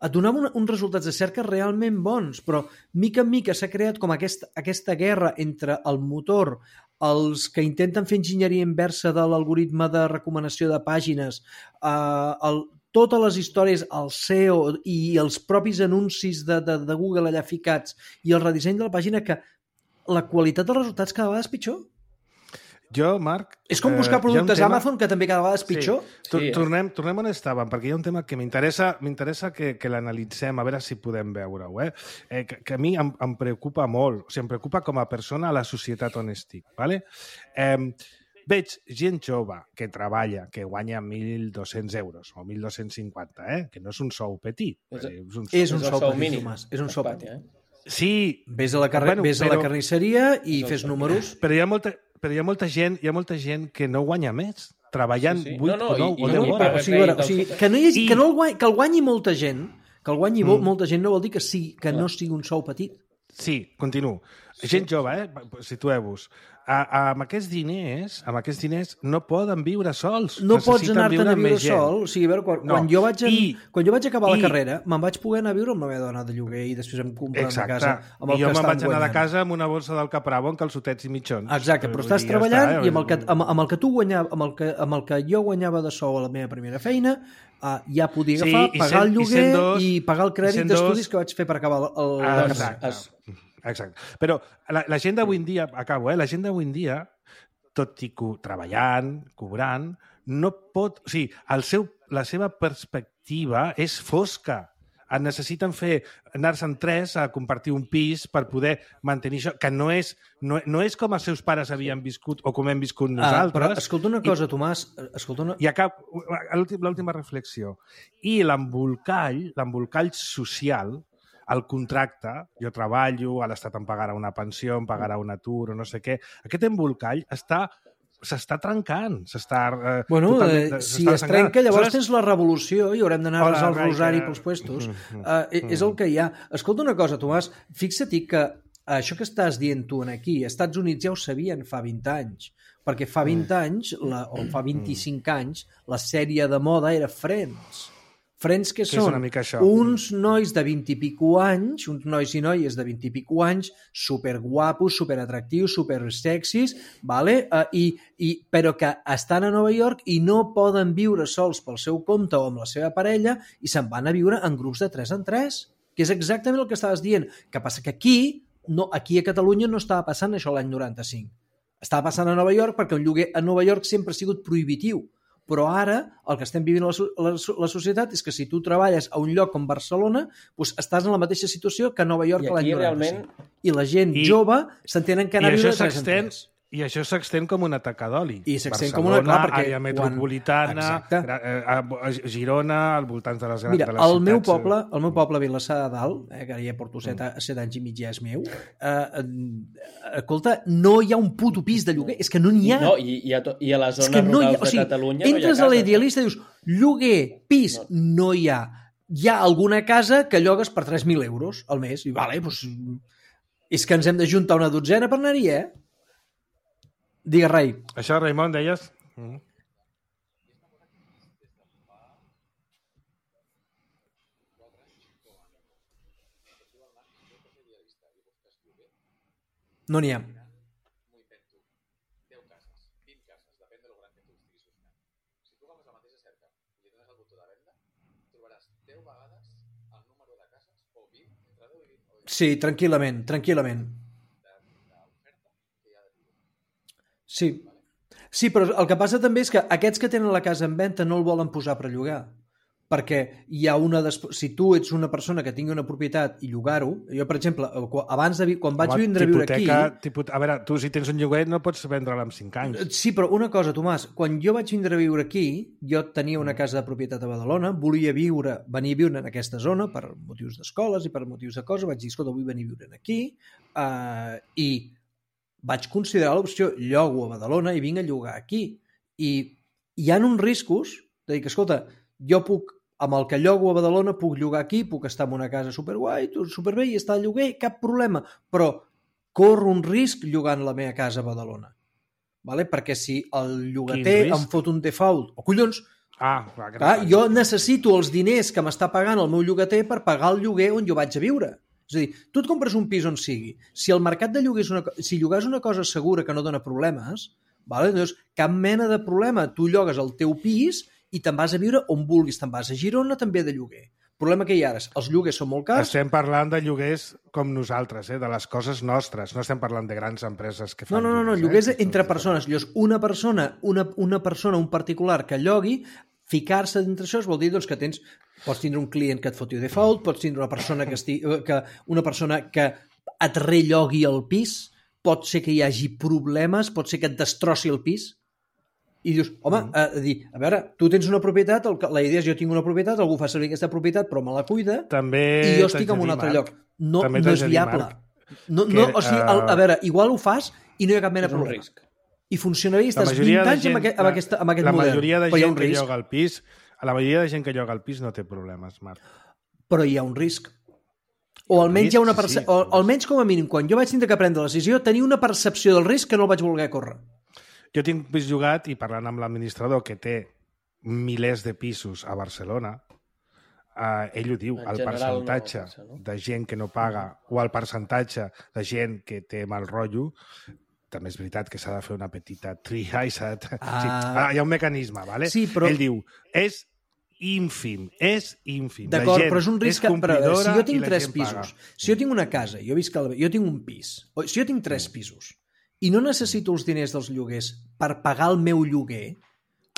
Et donava uns resultats de cerca realment bons, però mica en mica s'ha creat com aquesta guerra entre el motor, els que intenten fer enginyeria inversa de l'algoritme de recomanació de pàgines, totes les històries, el SEO i els propis anuncis de Google allà ficats i el redisseny de la pàgina, que la qualitat dels resultats cada vegada és pitjor. Jo, Marc... És com buscar productes a Amazon, que també cada vegada és pitjor. Sí. Tornem on estàvem, perquè hi ha un tema que m'interessa que l'analitzem, a veure si podem veure-ho. Que a mi em preocupa molt, o sigui, em preocupa com a persona a la societat on estic. ¿Vale? Veig gent jove que treballa, que guanya 1.200 euros o 1.250, que no és un sou petit. És un sou mínim. És un sou petit. Sí. Vés a la carnisseria i fes números. Però hi ha molta gent que no guanya més, treballant 8 o 9 hores. O sigui, que el guanyi molta gent, molta gent no vol dir que no sigui un sou petit. Sí, continuo. Gent jove, situeu-vos. amb aquests diners no poden viure sols. No pots Necessiten anar-te'n a amb viure més gent. sol. O sigui, a veure, quan jo vaig acabar la I- carrera, me'n vaig poder anar a viure amb la meva dona de lloguer i després em comprar una Exacte. casa amb el I jo que me'n estan vaig anar de guanyant. casa amb una bossa del Capravo amb calçotets i mitjons. Exacte, però Vull estàs dir, treballant i està, amb el que tu guanyava, amb el que jo guanyava de sou a la meva primera feina, ja podia Sí, agafar, i pagar el sent lloguer dos- i pagar el crèdit i sent dos- d'estudis que vaig fer per acabar la carrera. Exacte. Però la gent d'avui en dia, acabo, la gent d'avui en dia, tot i treballant, cobrant, no pot... O sigui, la seva perspectiva és fosca. Necessiten anar-se'n tres a compartir un pis per poder mantenir això, que no és com els seus pares havien viscut o com hem viscut nosaltres. Però escolta una cosa, Tomàs. I l'última reflexió. I l'embolcall social, el contracte, jo treballo, a l'Estat em pagarà una pensió, em pagarà un atur o no sé què, aquest embolcall s'està trencant, Bueno, si es trenca, llavors tens la revolució i haurem d'anar a resar el rosari pels puestos. És el que hi ha. Escolta una cosa, Tomàs, fixa-t'hi que això que estàs dient tu aquí, als Estats Units ja ho sabien fa 20 anys, perquè fa 20 anys, o fa 25 anys, la sèrie de moda era Friends. Friends que són una mica això. uns nois de 20 i pico anys, uns nois i noies de 20 i pico anys, superguapos, superatractius, supersexis, vale? Però que estan a Nova York i no poden viure sols pel seu compte o amb la seva parella i se'n van a viure en grups de 3 en 3, que és exactament el que estaves dient. Que passa que aquí a Catalunya no estava passant això l'any 95. Estava passant a Nova York perquè un lloguer a Nova York sempre ha sigut prohibitiu. Però ara el que estem vivint a la societat és que si tu treballes a un lloc com Barcelona, doncs estàs en la mateixa situació que a Nova York l'any 95. I la gent jove s'entenen que anar a viure 3 en 3. I això s'extén com una taca d'oli. I s'extén Barcelona, com una... Clar, perquè àrea metropolitana, a Girona, al voltant de les grans Mira, ciutats. el meu poble, Vilassar de Dalt, que ara ja porto 7 anys i mig, ja és meu, escolta, no hi ha un puto pis de lloguer, és que no n'hi ha. No, i a les zones rurals de Catalunya no hi ha entres cases. a l'idealista i dius, lloguer, pis, no hi ha. Hi ha alguna casa que llogues per 3.000 euros al mes. I vale, doncs, és que ens hem d'ajuntar una dotzena per anar-hi, Digues, Rai. Això, Raimon, deies? No n'hi ha. Sí, tranquil·lament. Sí, però el que passa també és que aquests que tenen la casa en venda no el volen posar per llogar. Perquè hi ha si tu ets una persona que tingui una propietat i llogar-ho, jo, per exemple, quan vaig vindre a viure aquí... A veure, tu si tens un lloguer no pots vendre-la en 5 anys. Sí, però una cosa, Tomàs, quan jo vaig vindre a viure aquí, jo tenia una casa de propietat a Badalona, volia venir a viure en aquesta zona per motius d'escoles i per motius de coses, vaig dir, escolta, vull venir a viure aquí, i vaig considerar l'opció, llogo a Badalona i vinc a llogar aquí. I hi ha uns riscos de dir que, escolta, jo puc, amb el que llogo a Badalona, puc llogar aquí, puc estar en una casa superguai, superbé, i estar al lloguer, cap problema, però corro un risc llogant la meva casa a Badalona. Vale? Perquè si el llogater em fot un default, o collons, jo necessito els diners que m'està pagant el meu llogater per pagar el lloguer on jo vaig a viure. És a dir, tu et compres un pis on sigui. Si el mercat de lloguer si llogues una cosa segura que no dona problemes, doncs cap mena de problema. Tu llogues el teu pis i te'n vas a viure on vulguis. Te'n vas a Girona també de lloguer. El problema que hi ha ara, els lloguers són molt cars. Estem parlant de lloguers com nosaltres, de les coses nostres. No estem parlant de grans empreses que fan No, lloguers entre persones. Una persona, un particular que llogui, ficar-se dintre això vol dir que pots tindre un client que et foti default, pots tindre una persona que et rellogui el pis, pot ser que hi hagi problemes, pot ser que et destrossi el pis, i dius, home, a veure, tu tens una propietat, la idea és jo tinc una propietat, algú fa servir aquesta propietat però me la cuida, i jo estic en un altre lloc. No és viable. A veure, igual ho fas i no hi ha cap mena de problema. I funcionaria i estàs 20 anys amb aquest model. La majoria de gent que lloga al pis, la majoria de gent que lloga al pis no té problemes, Marc. Però hi ha un risc. O almenys, o almenys com a mínim, quan jo vaig tindre que prendre la decisió, tenia una percepció del risc que no el vaig voler córrer. Jo tinc vist jugat, i parlant amb l'administrador, que té milers de pisos a Barcelona, ell ho diu, el percentatge de gent que no paga o el percentatge de gent que té mal rotllo, també és veritat que s'ha de fer una petita tria i s'ha de... hi ha un mecanisme, ¿vale? Sí, però... Ell diu, és ínfim, és ínfim. D'acord, però és un risc que... Però, si jo tinc 3 pisos, si jo tinc una casa, jo tinc un pis, si jo tinc 3 pisos i no necessito els diners dels lloguers per pagar el meu lloguer,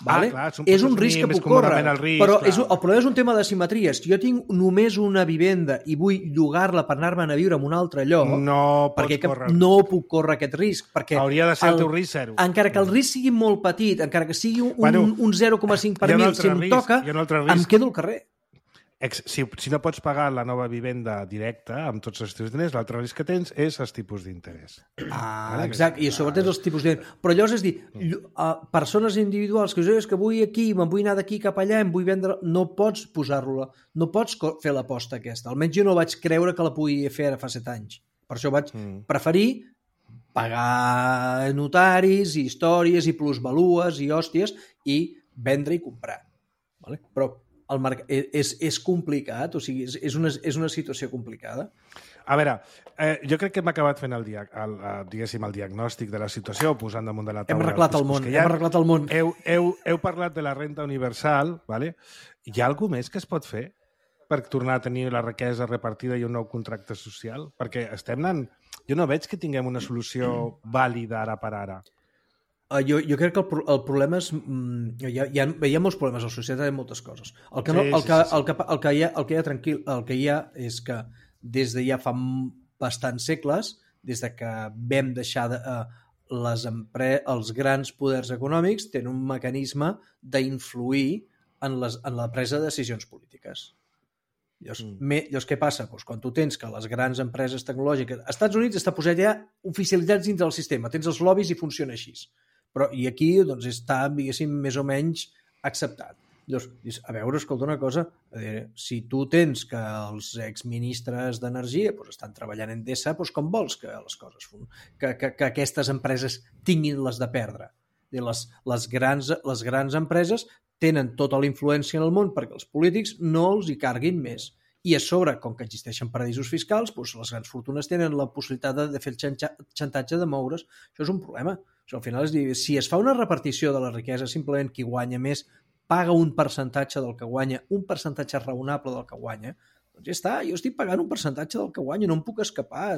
vale? Clar, és un risc que puc córrer, però el problema és un tema de simetries. Si jo tinc només una vivenda i vull llogar-la per anar-me'n a viure en un altre lloc, no puc córrer aquest risc, perquè hauria de ser el teu risc zero. Encara que el risc sigui molt petit, encara que sigui un 0,5 per mil, si em toca, em quedo al carrer. Si no pots pagar la nova vivenda directa amb tots els teus diners, l'altre risc que tens és els tipus d'interès. Exacte, i a sobre tens els tipus d'interès. Però llavors és dir, persones individuals que és que vull aquí, me'n vull anar d'aquí cap allà, em vull vendre... No pots posar-lo, no pots fer l'aposta aquesta. Almenys jo no vaig creure que la podia fer ara fa 7 anys. Per això vaig preferir pagar notaris, i històries, i plusvalues, i hòsties, i vendre i comprar. Vale? Però el és complicat, o sigui, és una situació complicada. A veure, jo crec que hem acabat fent el diagnòstic de la situació, posant damunt de la taula... Hem arreglat el món. Heu parlat de la renda universal, ¿vale? Hi ha alguna més que es pot fer per tornar a tenir la riquesa repartida i un nou contracte social? Perquè estem anant... Jo no veig que tinguem una solució vàlida ara per ara. Jo crec que el problema és... Hi ha molts problemes a la societat, hi ha moltes coses. El que hi ha és que des de ja fa bastants segles, des de que vam deixar els grans poders econòmics tenen un mecanisme d'influir en la presa de decisions polítiques. Llavors, què passa? Quan tu tens que les grans empreses tecnològiques... Als Estats Units està posat ja oficialitzats dintre del sistema, tens els lobbies i funciona així. Però, i aquí doncs, està, diguéssim, més o menys acceptat. Llavors, a veure, escolta una cosa, si tu tens que els exministres d'energia estan treballant en Endesa, com vols que les coses que aquestes empreses tinguin les de perdre? Les grans empreses tenen tota la influència en el món perquè els polítics no els hi carguin més. I a sobre, com que existeixen paradisos fiscals, les grans fortunes tenen la possibilitat de fer el xantatge de moure's. Això és un problema. Al final, si es fa una repartició de la riquesa, simplement qui guanya més paga un percentatge del que guanya, un percentatge raonable del que guanya, doncs ja està, jo estic pagant un percentatge del que guanyo, no em puc escapar.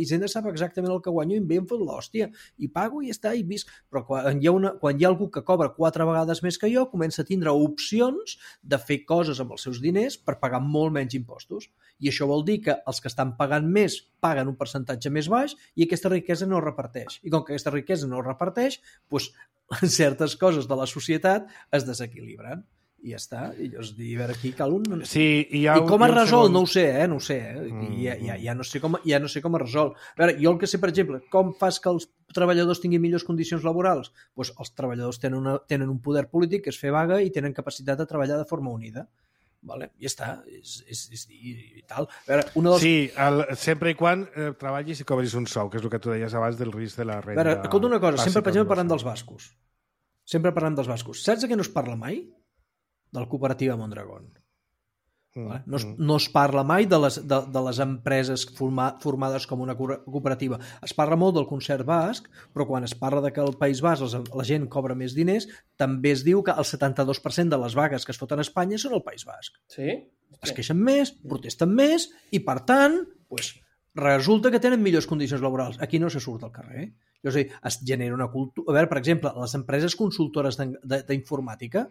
Hisenda sap exactament el que guanyo i em fot l'hòstia. I pago i ja està, i visc. Però quan hi ha algú que cobra 4 vegades més que jo, comença a tindre opcions de fer coses amb els seus diners per pagar molt menys impostos. I això vol dir que els que estan pagant més paguen un percentatge més baix i aquesta riquesa no es reparteix. I com que aquesta riquesa no es reparteix, doncs certes coses de la societat es desequilibren. I ja està. I llavors, a veure, aquí cal un... Sí, I com es resol? No ho sé, no ho sé. Ja no sé com es resol. A veure, jo el que sé, per exemple, com fas que els treballadors tinguin millors condicions laborals? Doncs els treballadors tenen un poder polític que és fer vaga i tenen capacitat de treballar de forma unida. Vale? Ja està, i tal. A veure, Sí, sempre i quan treballis i cobris un sou, que és el que tu deies abans del risc de la renda. A veure, escolta una cosa, sempre, per exemple, parlant dels bascos. Saps de què no es parla mai? De la cooperativa Mondragón. No es parla mai de les empreses formades com una cooperativa. Es parla molt del concert basc, però quan es parla de que al País Basc la gent cobra més diners, també es diu que el 72% de les vagues que es foten a Espanya són al País Basc. Sí? Es queixen més, protesten més i, per tant, resulta que tenen millors condicions laborals. Aquí no se surt al carrer. És a dir, es genera una cultura... A veure, per exemple, les empreses consultores d'informàtica,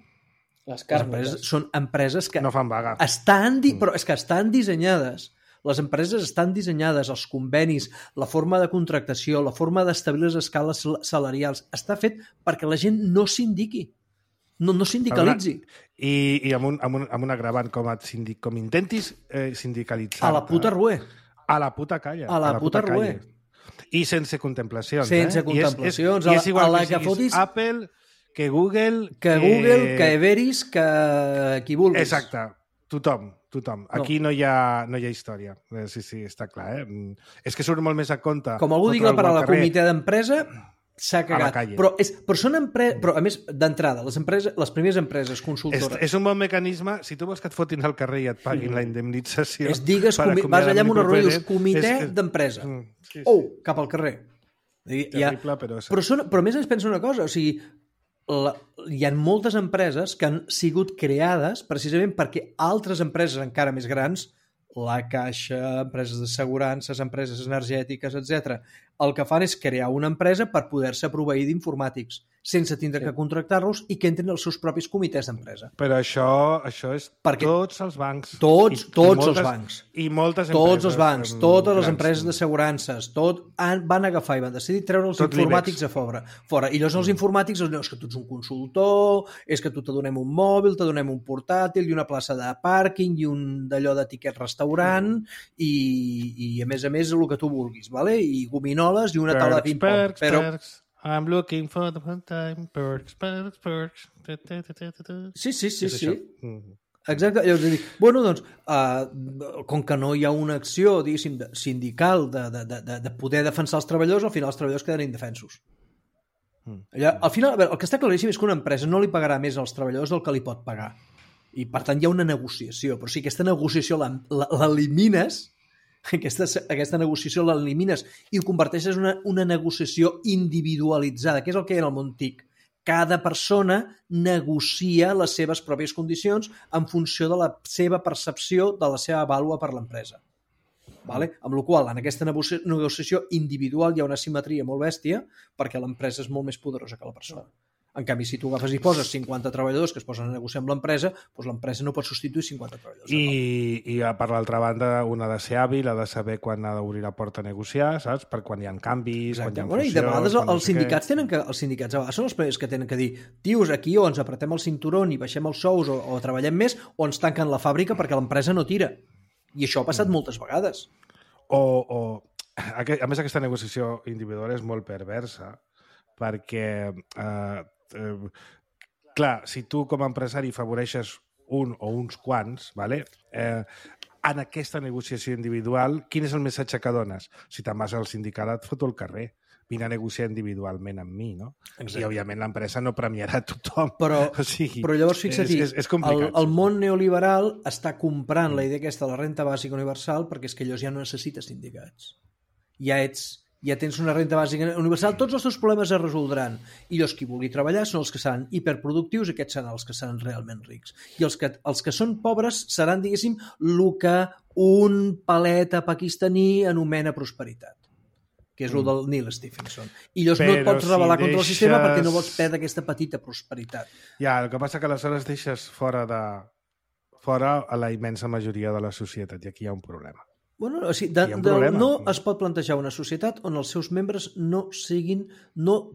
són empreses que no fan vaga. Però és que estan dissenyades. Les empreses estan dissenyades, els convenis, la forma de contractació, la forma d'establir les escales salarials, està fet perquè la gent no s'indiqui, no sindicalitzi. I amb un agravant, com intentis sindicalitzar... A la puta rué. A la puta calla. A la puta rué. I sense contemplacions. Sense contemplacions. I és igual que siguis Apple... que Google... Que Everis, que qui vulguis. Exacte. Tothom. tothom. Aquí no hi ha història. Sí, està clar, És que surt molt més a compte. Com algú digui la paraula comitè d'empresa, s'ha cagat. Però a més, d'entrada, les primeres empreses consultores... És un bon mecanisme, si tu vols que et fotin al carrer i et paguin la indemnització... Vas allà amb una roda i dius comitè d'empresa. Cap al carrer. Terrible, però... Però a més ens pensa una cosa, o sigui, hi ha moltes empreses que han sigut creades precisament perquè altres empreses encara més grans, la Caixa, empreses d'assegurances, empreses energètiques, etc. El que fan és crear una empresa per poder-se proveir d'informàtics, sense tindre que contractar-los i que entrin els seus propis comitès d'empresa. Però això és tots els bancs. Tots els bancs. I moltes empreses. Tots els bancs, totes les grans. empreses d'assegurances, van agafar i van decidir treure els informàtics a fora. I llavors els informàtics és que tu ets un consultor, és que tu te donem un mòbil, te donem un portàtil i una plaça de pàrquing i un d'allò de tiquet restaurant i a més el que tu vulguis, vale? I gominoles i una taula de ping-pong. Perks. I'm looking for the fun time, perks. Sí. Exacte. Llavors, com que no hi ha una acció, diguéssim, sindical de poder defensar els treballadors, al final els treballadors queden indefensos. Al final, el que està claríssim és que una empresa no li pagarà més als treballadors del que li pot pagar. I, per tant, hi ha una negociació. Però si aquesta negociació l'elimines, aquesta negociació l'elimines i ho converteixes en una negociació individualitzada, que és el que hi ha en el món TIC. Cada persona negocia les seves pròpies condicions en funció de la seva percepció de la seva vàlua per l'empresa. Vale? Amb la qual cosa, en aquesta negociació individual hi ha una simetria molt bèstia perquè l'empresa és molt més poderosa que la persona. En canvi, si tu agafes i poses 50 treballadors que es posen a negociar amb l'empresa, doncs l'empresa no pot substituir 50 treballadors. I per l'altra banda, un ha de ser hàbil, ha de saber quan ha d'obrir la porta a negociar, saps? Per quan hi ha canvis, Exacte. Quan hi ha fusions... I de vegades els sindicats a vegades són els primers que tenen que dir tios, aquí o ens apretem el cinturó i baixem els sous o treballem més o ens tanquen la fàbrica perquè l'empresa no tira. I això ha passat moltes vegades. A més, aquesta negociació individual és molt perversa perquè... clar, si tu com a empresari favoreixes un o uns quants, vale? En aquesta negociació individual, quin és el missatge que dones? Si te'n vas al sindicat et foto al carrer, vine a negociar individualment amb mi, no? Exacte. I, òbviament, l'empresa no premiarà tothom. Però llavors, fixa't-hi, és complicat. El món neoliberal està comprant la idea aquesta de la renta bàsica universal perquè és que llavors ja no necessites sindicats. Ja tens una renta bàsica universal, tots els teus problemes es resoldran. I llavors qui vulgui treballar són els que seran hiperproductius i aquests seran els que seran realment rics. I els que són pobres seran, diguéssim, el que un paleta pakistaní anomena prosperitat, que és el del Neil Stephenson. I llavors no et pots rebel·lar contra el sistema perquè no vols perdre aquesta petita prosperitat. Ja, el que passa que aleshores deixes fora a la immensa majoria de la societat i aquí hi ha un problema. Bueno, o sigui, no es pot plantejar una societat on els seus membres no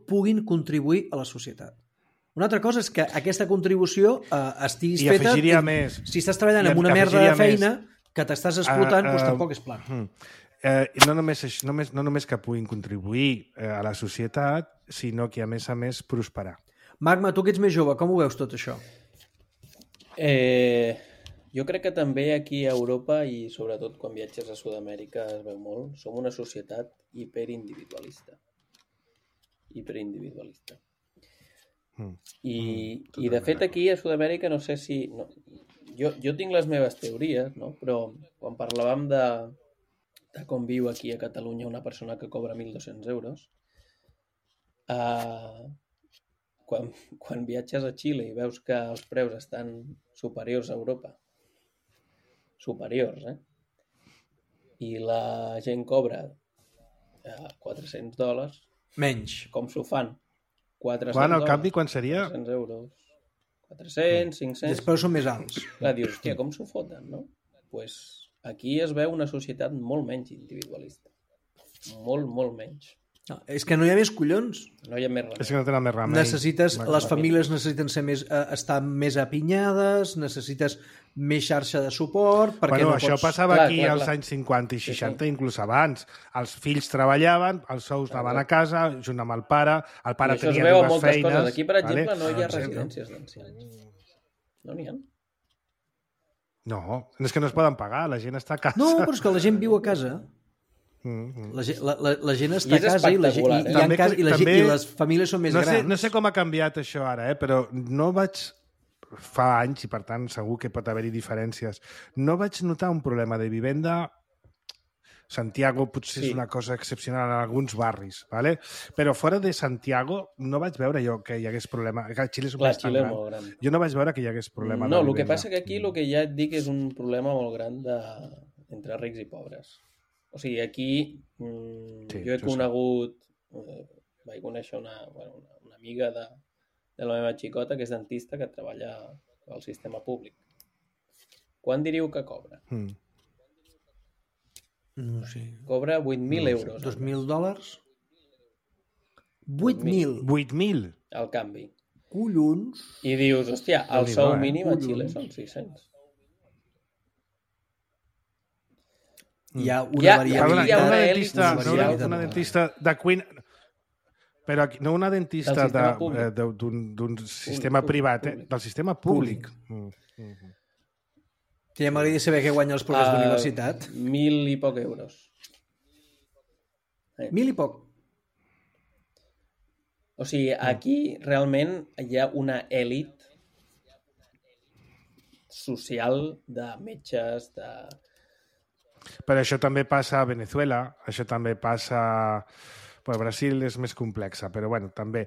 puguin contribuir a la societat. Una altra cosa és que aquesta contribució estiguis feta... Si estàs treballant en una merda de feina que t'estàs explotant, doncs tampoc és plan. No només que puguin contribuir a la societat, sinó que, a més, prosperar. Magma, tu que ets més jove, com ho veus tot això? Jo crec que també aquí a Europa i sobretot quan viatges a Sud-amèrica es veu molt. Som una societat hiperindividualista. I de fet aquí a Sud-amèrica no sé si... No, jo tinc les meves teories, no? Però quan parlàvem de com viu aquí a Catalunya una persona que cobra 1.200 euros, quan viatges a Xile i veus que els preus estan superiors a Europa, i la gent cobra $400, menys. Com s'ho fan? $400. Quan, al canvi, quan seria? 400 euros. 400, 500... Després són més alts. Clar, dius, hòstia, com s'ho foten, no? Pues aquí es veu una societat molt menys individualista. Molt, molt menys. No, és que no hi ha més collons. No hi ha més remei. És que no tenen més remei. Les famílies necessiten estar més apinyades, necessites més xarxa de suport... Això passava aquí als anys 50 i 60, inclús abans. Els fills treballaven, els sous anaven a casa, junt amb el pare tenia dues feines... Coses. Aquí, per exemple, no hi ha residències d'ancians. No n'hi ha. No, és que no es poden pagar, la gent està a casa. No, però és que la gent viu a casa. La gent està I és a casa i espectacular, i les famílies són més grans. No sé com ha canviat això ara, però no vaig... Fa anys, i per tant segur que pot haver-hi diferències. No vaig notar un problema de vivenda. Santiago potser és una cosa excepcional en alguns barris, ¿vale? Però fora de Santiago no vaig veure jo que hi hagués problema. Xile és un país tan gran. Jo no vaig veure que hi hagués problema de vivenda. No, el que passa que aquí el que ja et dic és un problema molt gran entre rics i pobres. O sigui, aquí jo he conegut... vaig conèixer una amiga de la meva xicota, que és dentista, que treballa al sistema públic. Quan diríeu que cobra? No sé. Cobra 8.000 euros. $2.000? 8.000? 8.000? Al canvi. Collons! I dius, hòstia, el sou mínim a Xile són 600. Hi ha una variabilitat. Una dentista de cuina... Però no una dentista d'un sistema privat, del sistema públic. Ja m'agradaria saber què guanya els professors d'universitat. 1.000 i poc euros. 1.000 i poc? O sigui, aquí realment hi ha una èlit social de metges, de... Però això també passa a Venezuela, això també passa... Bueno, Brasil és més complexa, però bueno, també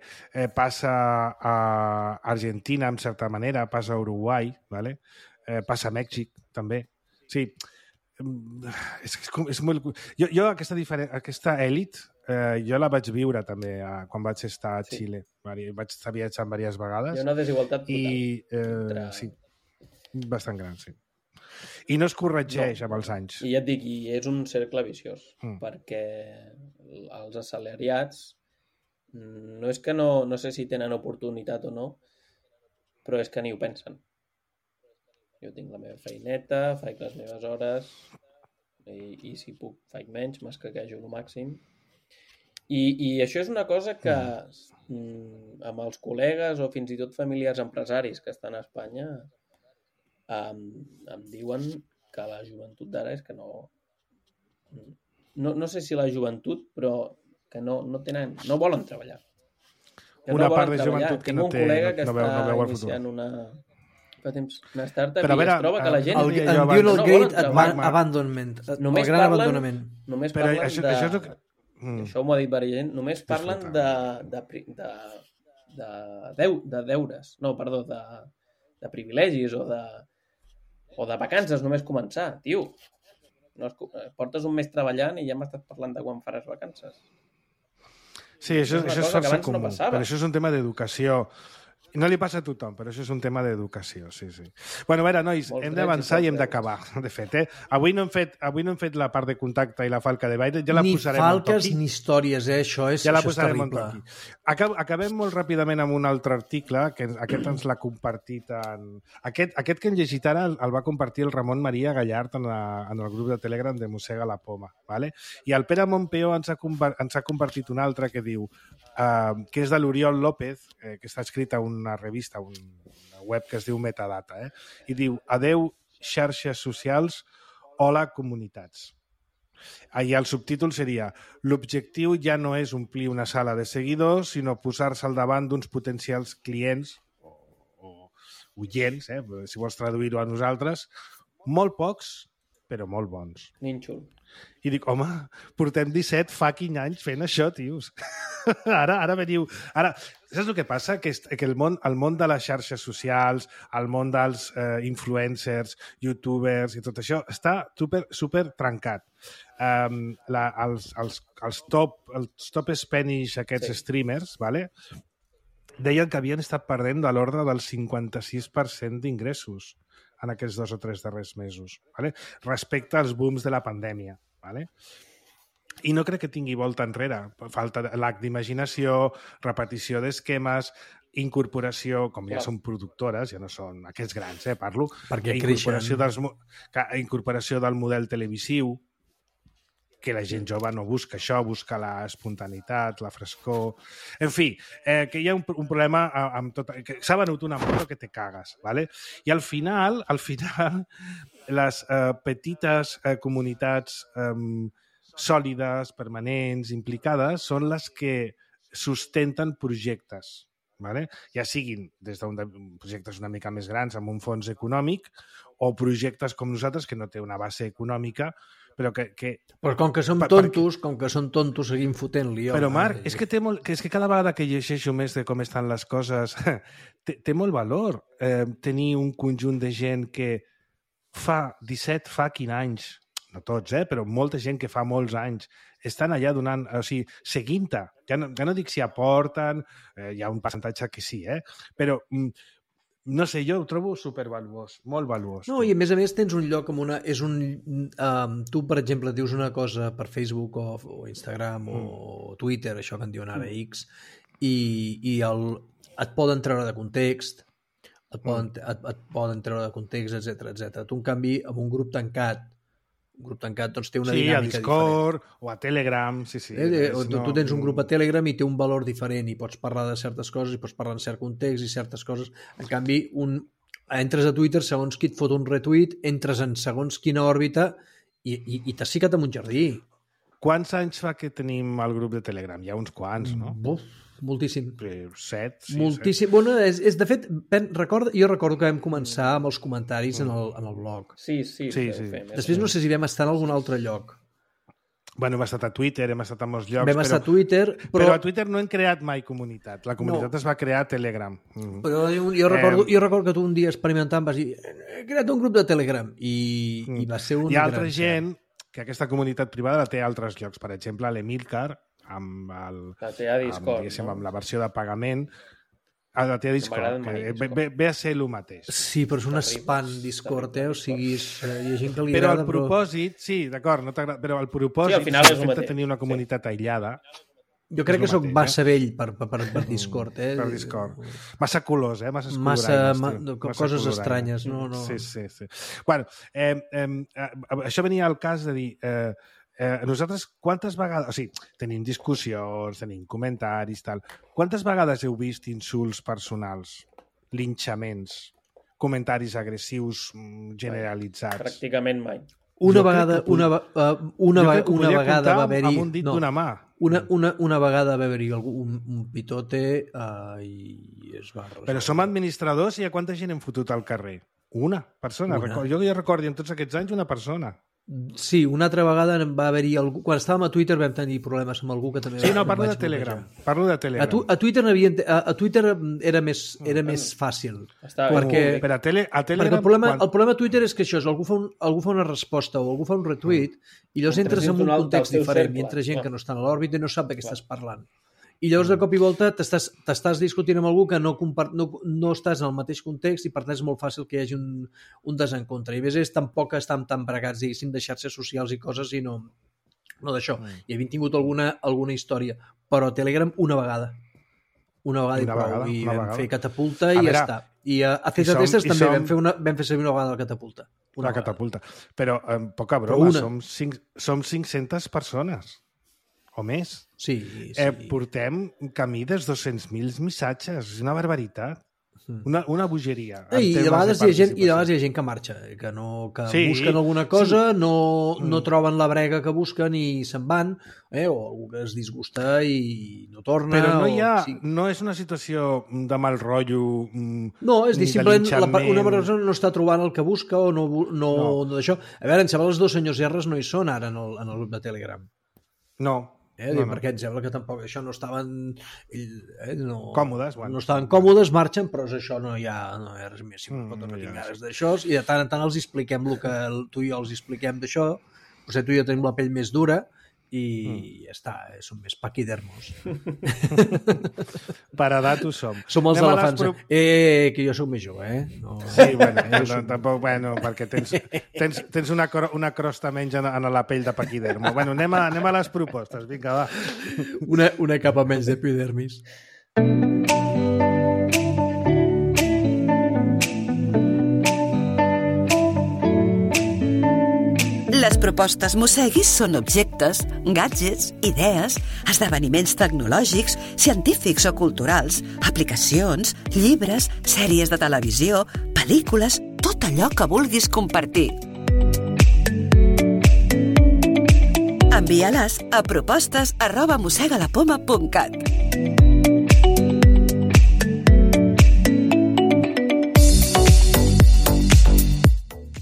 passa a Argentina, en certa manera, passa a Uruguai, ¿vale? Passa a Mèxic, també. Sí, és molt... Jo aquesta èlit, jo la vaig viure també quan vaig estar a Xile. Vaig estar viatjant diverses vegades. Hi ha una desigualtat total. Sí, bastant gran, sí. I no es corregeix amb els anys. I ja et dic, és un cercle viciós, perquè els assalariats no és que no sé si tenen oportunitat o no, però és que ni ho pensen. Jo tinc la meva feineta, faig les meves hores i si puc faig menys, m'escaquejo el màxim. I això és una cosa que amb els col·legues o fins i tot familiars empresaris que estan a Espanya em diuen que la joventut d'ara és que no sé si la joventut, però que no volen treballar. Una part de joventut que no té, no veu el futur. Iniciant una startup i es troba que la gent en diuen el Great Abandonment, el gran abandonament. Només parlen de... Això m'ho ha dit varia gent. Només parlen de deures. No, perdó, de privilegis o de vacances, només començar. Tio, portes un mes treballant i ja m'estàs parlant de quan faràs vacances. Sí, això és força comú, però això és un tema d'educació. No li passa a tothom, però això és un tema d'educació, sí. Bueno, a veure, nois, hem d'avançar i hem d'acabar, de fet, Avui no hem fet la part de contacte i la falca de Baile, ja la posarem un toqui. Ni falques ni històries, això és terrible. Ja la posarem un toqui. Acabem molt ràpidament amb un altre article, que aquest ens l'ha compartit Aquest que hem llegit ara el va compartir el Ramon Maria Gallart en el grup de Telegram de Mossega la Poma, ¿vale? I el Pere Montpeó ens ha compartit un altre que diu que és de l'Oriol López, que està escrit a una revista, una web que es diu Metadata, i diu: adeu xarxes socials, hola comunitats. I el subtítol seria: l'objectiu ja no és omplir una sala de seguidors, sinó posar-se al davant d'uns potencials clients o oients, si vols traduir-ho a nosaltres, molt pocs, però molt bons. Nínxol. I dic, home, portem 17 fucking anys fent això, tios. Ara veniu... Saps el que passa? Que el món de les xarxes socials, el món dels influencers, youtubers i tot això està super trencat. Els top Spanish, aquests streamers, ¿vale? Deien que havien estat perdent de l'ordre del 56% d'ingressos en aquests 2 o 3 darrers mesos, ¿vale? Respecte als booms de la pandèmia. ¿Vale? I no crec que tingui volta enrere. Falta l'acte d'imaginació, repetició d'esquemes, incorporació, com ja són productores, ja no són aquests grans, parlo, perquè incorporació del model televisiu, que la gent jove no busca això, busca la espontaneïtat, la frescor... En fi, que hi ha un problema amb tot... Que s'ha venut una moto que te cagues, ¿vale? I al final les petites comunitats sòlides, permanents, implicades, són les que sustenten projectes, ¿vale? Ja siguin des d'un projectes una mica més grans amb un fons econòmic o projectes com nosaltres que no té una base econòmica, però que... Però com que som tontos, seguim fotent-li. Però, Marc, és que cada vegada que llegeixo més de com estan les coses, té molt valor tenir un conjunt de gent que fa 15 anys, no tots, però molta gent que fa molts anys, estan allà donant, o sigui, seguint-te. Ja no dic si aporten, hi ha un percentatge que sí, però... No sé, jo ho trobo supervaluós, molt valuós. No, i a més tens un lloc amb una... tu, per exemple, dius una cosa per Facebook o Instagram o Twitter, això que en diuen ara X, i et poden treure de context, et poden treure de context, etc. Tu, en canvi, amb un grup tancat doncs té una dinàmica diferent. Sí, a Discord o a Telegram, sí. Tu tens un grup a Telegram i té un valor diferent i pots parlar de certes coses i pots parlar en cert context i certes coses. En canvi, entres a Twitter, segons qui et fot un retweet, entres en segons quina òrbita i t'has ficat en un jardí. Quants anys fa que tenim el grup de Telegram? Hi ha uns quants, no? Moltíssim. 7, sí. Moltíssim. Bueno, de fet, jo recordo que vam començar amb els comentaris en el blog. Sí. Després no sé si vam estar en algun altre lloc. Bueno, hem estat a Twitter, hem estat a molts llocs. Vam estar a Twitter, però a Twitter no hem creat mai comunitat. La comunitat es va crear a Telegram. Però jo recordo que tu un dia experimentant vas dir he creat un grup de Telegram i va ser un... Hi ha altra gent que aquesta comunitat privada la té a altres llocs. Per exemple, l'Emilcar, amb la versió de pagament, la té a Discord, que ve a ser el mateix. Sí, però és un spam Discord, o sigui, hi ha gent que li però agrada... El propòsit, sí, d'acord, no t'agrada, però el propòsit és tenir una comunitat aïllada. Jo crec que soc massa vell per Discord, Per Discord. Massa colors, massa coses estranyes, no. Sí. Bueno, això venia al cas de dir... nosaltres quantes vegades... O sigui, tenim discussions, tenim comentaris, tal. Quantes vegades heu vist insults personals, linxaments, comentaris agressius generalitzats? Pràcticament mai. Una vegada va haver-hi... Amb un dit d'una mà. Una vegada va haver-hi un pitote i es va... Però som administradors i a quanta gent hem fotut al carrer? Una persona. Jo recordo en tots aquests anys una persona. Sí, una altra vegada va haver-hi algú... Quan estàvem a Twitter vam tenir problemes amb algú que també... Sí, no, parlo de Telegram. A Twitter era més fàcil. Perquè a Telegram... El problema a Twitter és que això és algú fa una resposta o algú fa un retweet i llavors entres en un context diferent i entra gent que no està a l'òrbita i no sap de què estàs parlant. I llavors de cop i volta t'estàs discutint amb algú que no estàs en el mateix context i per tant és molt fàcil que hi hagi un desencontre. I a més tampoc estan tan bregats, diguéssim, de xarxes socials i coses i no d'això. I havien tingut alguna història, però a Telegram una vegada i prou. I vam fer catapulta i ja està. I a Ceta Testes també vam fer servir una vegada la catapulta. La catapulta. Però, poca broma, som 500 persones. O més. Sí. Portem camí dels 200.000 missatges. És una barbaritat. Una bogeria. I de vegades hi ha gent que marxa, que busquen alguna cosa, no troben la brega que busquen i se'n van, o algú que es disgusta i no torna. Però no és una situació de mal rotllo. No, és dir, simplement una persona no està trobant el que busca o no d'això. A veure, em sembla els dos senyors R's no hi són ara en el grup de Telegram. No. Perquè em sembla que tampoc això no estaven còmodes, no estaven còmodes, marxen, però això no hi ha res més, no tinc ganes d'això, i de tant en tant els expliquem el que tu i jo els expliquem d'això, potser tu i jo tenim la pell més dura i ja està, som més paquidermos. Per edat ho som. Som els elefants. Que jo soc més jove, Sí, tampoc, perquè tens una crosta menys en la pell de paquidermo. Anem a les propostes, vinga, va. Una capa menys d'epidermis. La Les propostes Mosseguis són objectes, gadgets, idees, esdeveniments tecnològics, científics o culturals, aplicacions, llibres, sèries de televisió, pel·lícules, tot allò que vulguis compartir. Envia-les a propostes@mossegalapoma.cat.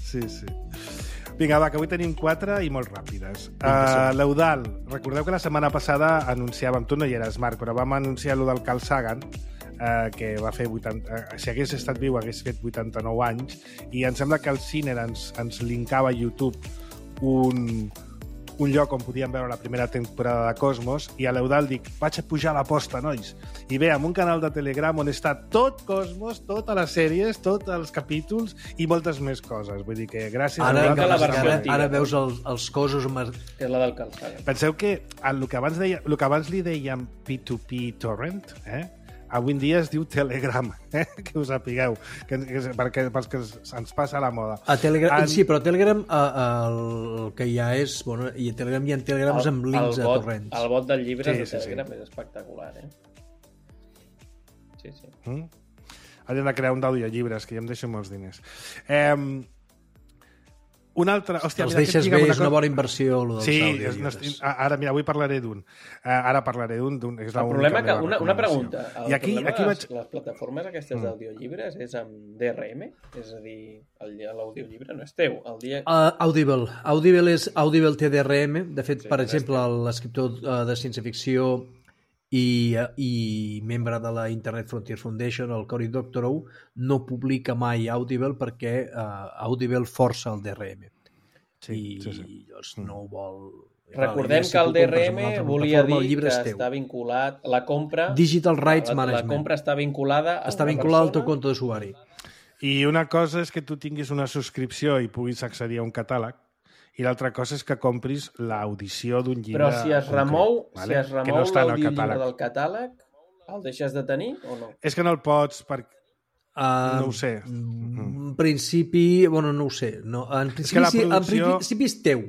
Sí. Vinga, va, que avui tenim 4 i molt ràpides. L'Eudal, recordeu que la setmana passada anunciàvem, tu no hi eres, Marc, però vam anunciar allò del Carl Sagan, que va fer 80... Si hagués estat viu, hagués fet 89 anys, i em sembla que el Ciner ens linkava a YouTube un lloc on podíem veure la primera temporada de Cosmos, i a l'Eudal dic, vaig a pujar a l'aposta, nois. I ve amb un canal de Telegram on està tot Cosmos, totes les sèries, tots els capítols i moltes més coses. Vull dir que gràcies a Eudal... Ara veus els cossos... És la del Carl Sagan. Penseu que el que abans li dèiem P2P Torrent, avui en dia es diu Telegram, que us sapigueu, pels que ens passa la moda. Sí, però Telegram el que hi ha és... Bueno, i a Telegram hi ha telegrams amb links a torrents. El bot del llibre de Telegram és espectacular, Sí. Hauríem de crear un d'audiollibles, que ja em deixo molts diners. Una altra... Hòstia, els deixes bé, és una bona inversió, el dels àudios. Sí, ara, mira, avui parlaré d'un. El problema que... Una pregunta. I aquí les plataformes aquestes d'audiollibres és amb DRM? És a dir, l'audiollibre no és teu. Audible. Audible té DRM. De fet, per exemple, l'escriptor de ciència-ficció i membre de la Internet Frontier Foundation, el Cory Doctorow, no publica mai Audible perquè Audible força el DRM. I llavors no ho vol... Recordem que el DRM volia dir que està vinculat... La compra... Digital Rights Management. La compra està vinculada a està vinculada al teu compte d'usuari. I una cosa és que tu tinguis una subscripció i puguis accedir a un catàleg, i l'altra cosa és que compris l'audició d'un llibre. Però si es remou l'audiollibre del catàleg, el deixes de tenir o no? És que no el pots no ho sé. En principi, bueno, no ho sé. No. En principi és teu.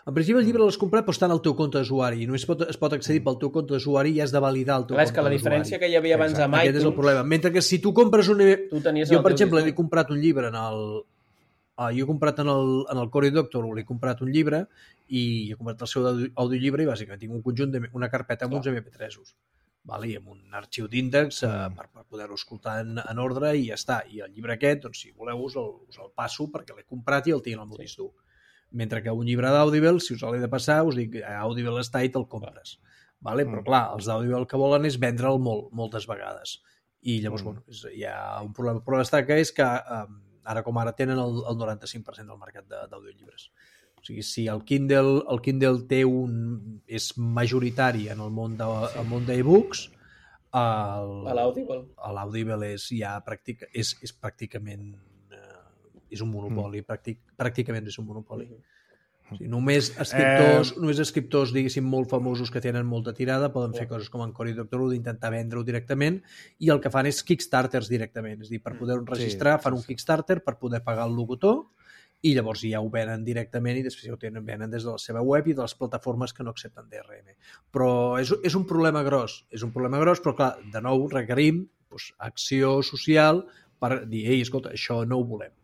En principi el llibre l'has comprat però està en el teu compte d'usuari i només es pot accedir pel teu compte d'usuari i has de validar el teu compte d'usuari. És que la diferència que hi havia abans amb iTunes... Aquest és el problema. Mentre que si tu compres un... Jo, per exemple, he comprat un llibre jo he comprat en el Cory Doctorow, he comprat un llibre i he comprat el seu audiollibre i bàsicament tinc un conjunt una carpeta amb uns MP3s, i amb un arxiu d'índex per poder-ho escoltar en ordre i ja està. I el llibre aquest, doncs, si voleu, us el passo perquè l'he comprat i el tinc al meu disc dur. Mentre que un llibre d'Audible, si us l'he de passar, us dic Audible està i te'l compres. Però clar, els d'Audible el que volen és vendre'l moltes vegades. I llavors, hi ha un problema. El problema està que és que ara com ara tenen el 95% del mercat d'audiollibres. O sigui, si el Kindle és majoritari en el món d'e-books, l'Audible és pràcticament és un monopoli, pràcticament és un monopoli. O sigui, només escriptors, diguéssim, molt famosos que tenen molta tirada poden fer coses com en Cory Doctorow d'intentar vendre-ho directament i el que fan és Kickstarters directament. És a dir, per poder-ho registrar fan un Kickstarter per poder pagar el locutor i llavors ja ho venen directament i després ho venen des de la seva web i de les plataformes que no accepten DRM. Però és un problema gros. És un problema gros, però clar, de nou requerim acció social per dir, ei, escolta, això no ho volem.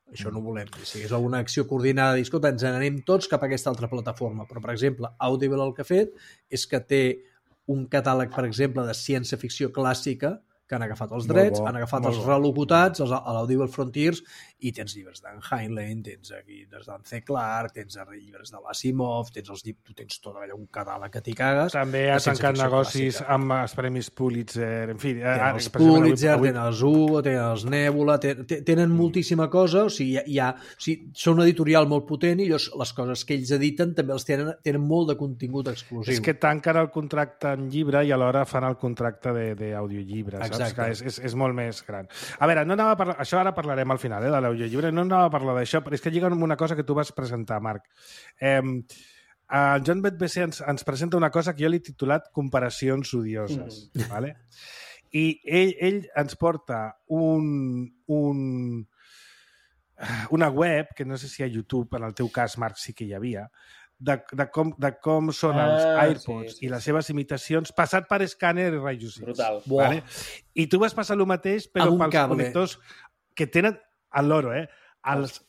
Això no ho volem. Si és alguna acció coordinada, dir, escolta, ens n'anem tots cap a aquesta altra plataforma. Però, per exemple, Audible el que ha fet és que té un catàleg, per exemple, de ciència-ficció clàssica que han agafat els drets, han agafat els relocutats, a l'Audible Frontiers, i tens llibres d'en Heinlein, tens llibres d'en C. Clarke, tens llibres de l'Asimov, tu tens tot allò, un catàleg que t'hi cagues. També ha tancat negocis amb els premis Pulitzer, en fi... Tenen els Pulitzer, tenen els Hugo, tenen els Nebula, tenen moltíssima cosa, o sigui, són una editorial molt potent i les coses que ells editen també els tenen molt de contingut exclusiu. És que tanquen el contracte en llibre i alhora fan el contracte d'audiollibre, saps? Que és molt més gran. A veure, no anava a parlar... Això ara parlarem al final, de l'audiollibre. No anava a parlar d'això, però és que lliga amb una cosa que tu vas presentar, Marc. El John Betbesser ens presenta una cosa que jo l'he titulat Comparacions odioses. Vale? I ell ens porta una web, que no sé si a YouTube, en el teu cas, Marc, sí que hi havia, de com són els AirPods i les seves imitacions, passat per escàner i rajos X. Brutal. Vale? I tu vas passar el mateix, però pels connectors que tenen el loro, els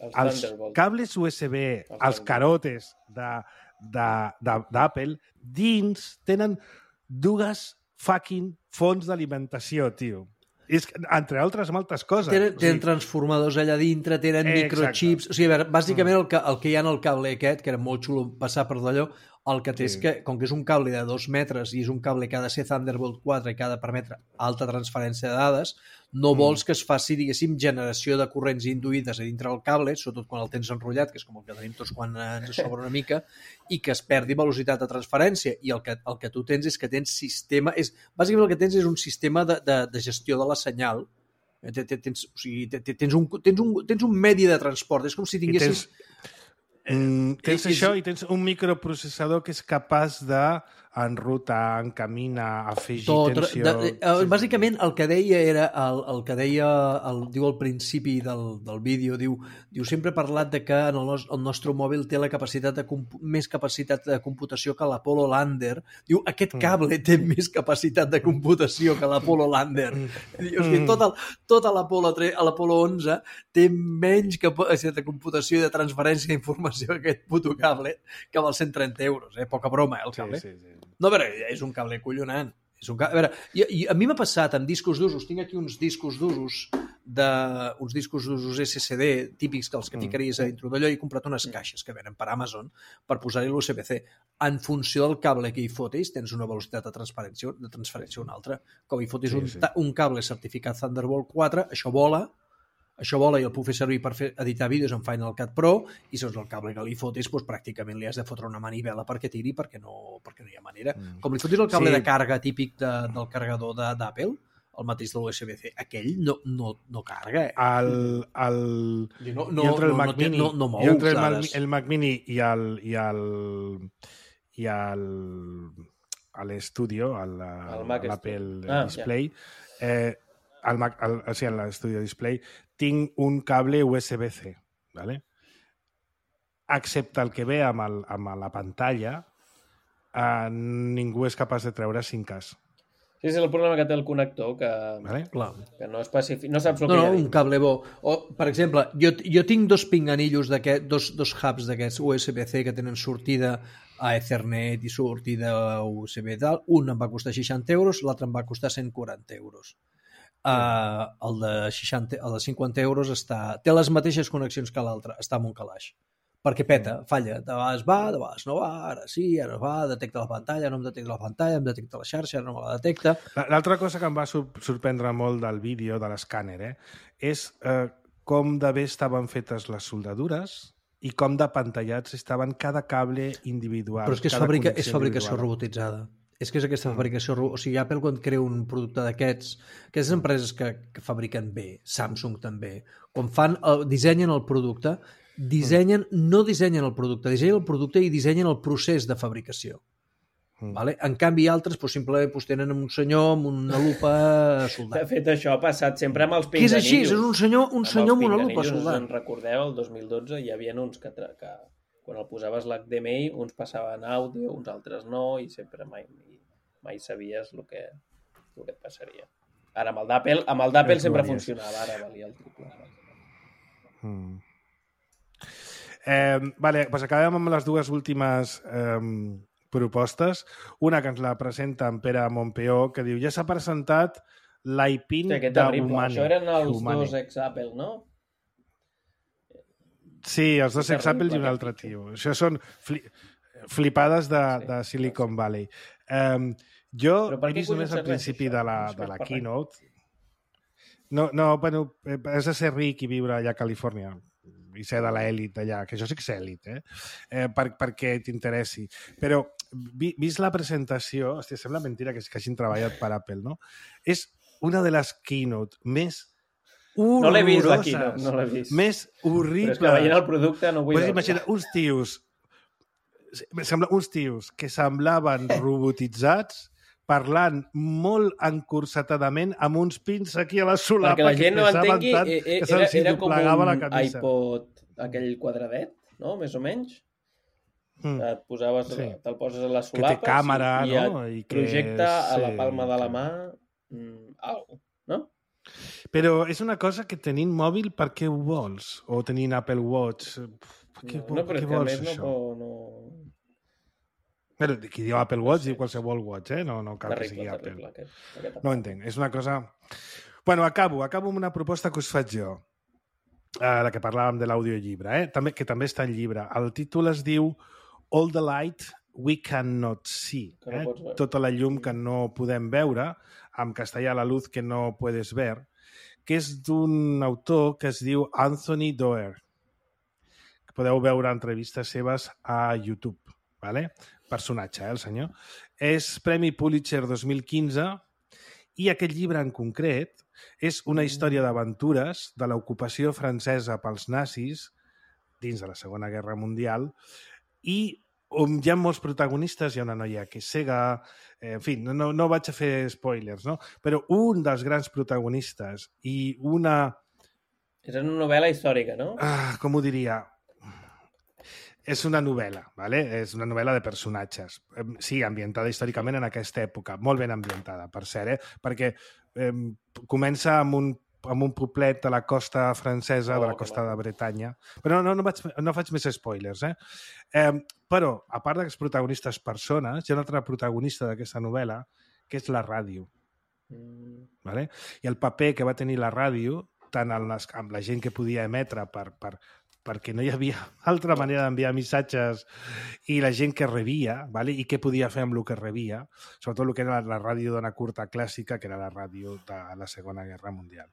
cables USB, els carotes d'Apple, dins tenen dues fucking fonts d'alimentació, tio. És, entre altres moltes coses. Tenen transformadors allà dintre, tenen microchips... O sigui, a veure, bàsicament el que hi ha en el cable aquest, que era molt xulo passar per d'allò, el que té és que, com que és un cable de 2 metres i és un cable que ha de ser Thunderbolt 4 i que ha de permetre alta transferència de dades, no vols que es faci, diguéssim, generació de corrents induïdes a dintre del cable, sobretot quan el tens enrotllat, que és com el que tenim tots quan ens sobra una mica, i que es perdi velocitat de transferència. I el que tu tens és que tens sistema... Bàsicament el que tens és un sistema de gestió de la senyal. Tens un medi de transport. És com si tinguessis... Tens això i tens un microprocessador que és capaç d'enrutar, encaminar, afegir tensió... Bàsicament el que deia era el que deia diu al principi del vídeo, diu sempre he parlat de que el nostre mòbil té la capacitat més capacitat de computació que l'Apollo Lander. Diu, aquest cable té més capacitat de computació que l'Apollo Lander. Diu, tota l'Apollo 11 té menys capacitat de computació i de transferència d'informació aquest puto cable, que val 130 euros, poca broma, el cable. Sí. No, però és un cable collonant. A veure, a mi m'ha passat amb discos d'usos, tinc aquí uns discos d'usos SSD típics que els que ficaries a dintre d'allò i he comprat unes caixes que venen per Amazon per posar-hi l'USB-C. En funció del cable que hi fotis, tens una velocitat de transferència una altra. Com hi fotis un cable certificat Thunderbolt 4, això vola i el puc fer servir per editar vídeos en Final Cut Pro i segons el cable que li fotis pràcticament li has de fotre una manivela perquè tiri perquè no hi ha manera. Com li fotis el cable de càrrega típic del carregador d'Apple, el mateix de l'USB-C, aquell no carga. Entre el Mac Mini el Mac Mini i l'Studio, l'Apple Display, a l'Studio Display, tinc un cable USB-C, ¿vale? Excepte el que ve amb la pantalla, ningú és capaç de treure 5K. Sí, és el problema que té el connector, que no especifica, no saps el que hi ha. Un cable bo. Per exemple, jo tinc dos pinganillos, dos hubs d'aquests USB-C que tenen sortida a Ethernet i sortida a USB i tal. Un em va costar 60 euros, l'altre em va costar 140 euros. El de 50 euros té les mateixes connexions que l'altre, està en un calaix. Perquè peta, falla, de vegades va, de vegades no va, ara sí, ara va, detecta la pantalla, no em detecta la pantalla, em detecta la xarxa, no me la detecta. L'altra cosa que em va sorprendre molt del vídeo, de l'escàner, és com de bé estaven fetes les soldadures i com de pantallats estaven cada cable individual. Però és que és fabricació robotitzada. És que és aquesta fabricació... O sigui, Apple, quan crea un producte d'aquests, aquestes empreses que fabriquen bé, Samsung també, quan dissenyen el producte, no dissenyen el producte, dissenyen el producte i dissenyen el procés de fabricació. Vale? En canvi, altres simplement tenen un senyor amb una lupa soldant. De fet, això ha passat sempre amb els pinganillos. Que és així, és un senyor amb una lupa soldant. Us en recordeu, el 2012 hi havia uns que quan el posaves l'HDMI, uns passaven àudio, uns altres no, i sempre mai sabies el que et passaria. Ara, amb el d'Apple sempre funcionava, ara valia el triple. Vale, doncs acabem amb les dues últimes propostes. Una que ens la presenta en Pere Montpeó, que diu, ja s'ha presentat l'iPin d'Humane. Això eren els dos ex-Apple, no? Sí, els dos ex-Apple i un altre tio. Això són flipades de Silicon Valley. Jo he vist només al principi de la keynote. No, bueno, has de ser ric i viure allà a Califòrnia i ser de l'elit allà, que això sí que és elit, perquè t'interessi. Però, vist la presentació, hòstia, sembla mentira que hagin treballat per Apple, no? És una de les keynote més horroroses. No l'he vist, la keynote, no l'he vist. Més horrible. Però és que veient el producte no vull veure. Imagina, uns tios que semblaven robotitzats parlant molt encursetadament amb uns pins aquí a la solapa Perquè la gent no pesaven entengui, tant que se'ls era com doblegava la un camisa. iPod, aquell quadradet, no? Més o menys. Et posaves, Sí. te'l poses a les Que té solapes càmera, i no? et I que projecta a la sí, palma de la que- mà algo, no? Però és una cosa que tenint mòbil, per què ho vols? O tenint Apple Watch, per què, No, però què és que a vols més això? no... Però qui diu Apple Watch diu qualsevol watch, eh? No cal que sigui Terrible, Apple. aquest No ho entenc, és una cosa... Bueno, acabo amb una proposta que us faig jo, la que parlàvem de l'audiollibre, que també està en llibre. El títol es diu All the Light We Cannot See, Que no pots veure. tota la llum que no podem veure, en castellà La luz que no puedes ver, que és d'un autor que es diu Anthony Doerr, que podeu veure entrevistes seves a YouTube, ¿vale? Personatge, el senyor. És Premi Pulitzer 2015 i aquest llibre en concret és una història d'aventures de l'ocupació francesa pels nazis dins de la Segona Guerra Mundial i on hi ha molts protagonistes, hi ha una noia que és cega, en fi, no vaig a fer spoilers, no? Però un dels grans protagonistes i una... És una novel·la històrica, no? Com ho diria? És una novel·la, ¿vale? És una novel·la de personatges. Sí, ambientada històricament en aquesta època. Molt ben ambientada, per cert, perquè comença amb un poblet de la costa francesa, de la costa de Bretanya. Però no faig més spoilers, però, a part d'aquests protagonistes persones, hi ha una altra protagonista d'aquesta novel·la, que és la ràdio. ¿Vale? I el paper que va tenir la ràdio, tant amb la gent que podia emetre perquè no hi havia altra manera d'enviar missatges i la gent que rebia, ¿vale? I què podia fer amb el que rebia, sobretot el que era la ràdio d'ona curta clàssica, que era la ràdio de la Segona Guerra Mundial.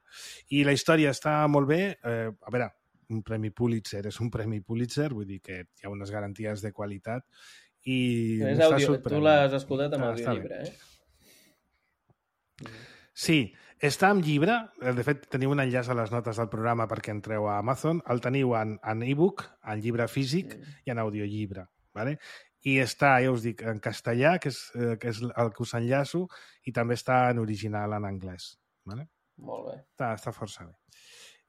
I la història està molt bé. A veure, un Premi Pulitzer és un Premi Pulitzer, vull dir que hi ha unes garanties de qualitat i m'està sorprenent. Tu l'has escoltat amb audiollibre, Sí, està en llibre. De fet, teniu un enllaç a les notes del programa perquè entreu a Amazon. El teniu en e-book, en llibre físic i en audiollibre. ¿Vale? I està, ja us dic, en castellà, que és el que us enllaço, i també està en original en anglès. ¿Vale? Molt bé. Està força bé.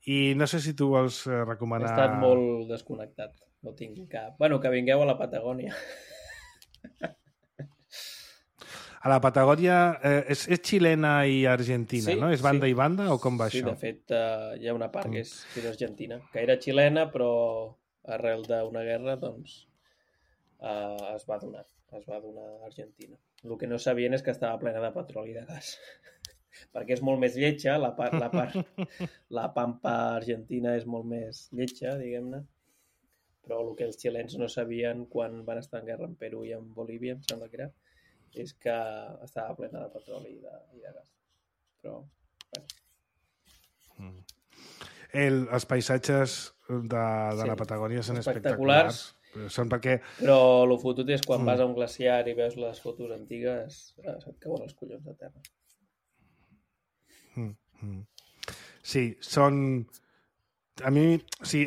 I no sé si tu vols recomanar... He estat molt desconnectat. No tinc cap... Bueno, que vingueu a la Patagònia. A la Patagònia és xilena i argentina, no? És banda i banda o com va això? Sí, de fet, hi ha una part que és argentina, que era xilena, però arrel d'una guerra, doncs, es va donar a Argentina. El que no sabien és que estava plena de petroli i de gas. Perquè és molt més lletja, la pampa argentina és molt més lletja, diguem-ne, però el que els xilens no sabien quan van estar en guerra en Perú i en Bolívia, em sembla que era, és que estava plena de petroli i de gas. Però, bueno. Els paisatges de la Patagònia són espectaculars. Són perquè... Però el fotut és quan vas a un glaciar i veus les fotos antigues, se't cauen els collons de terra. Sí, són... A mi, sí,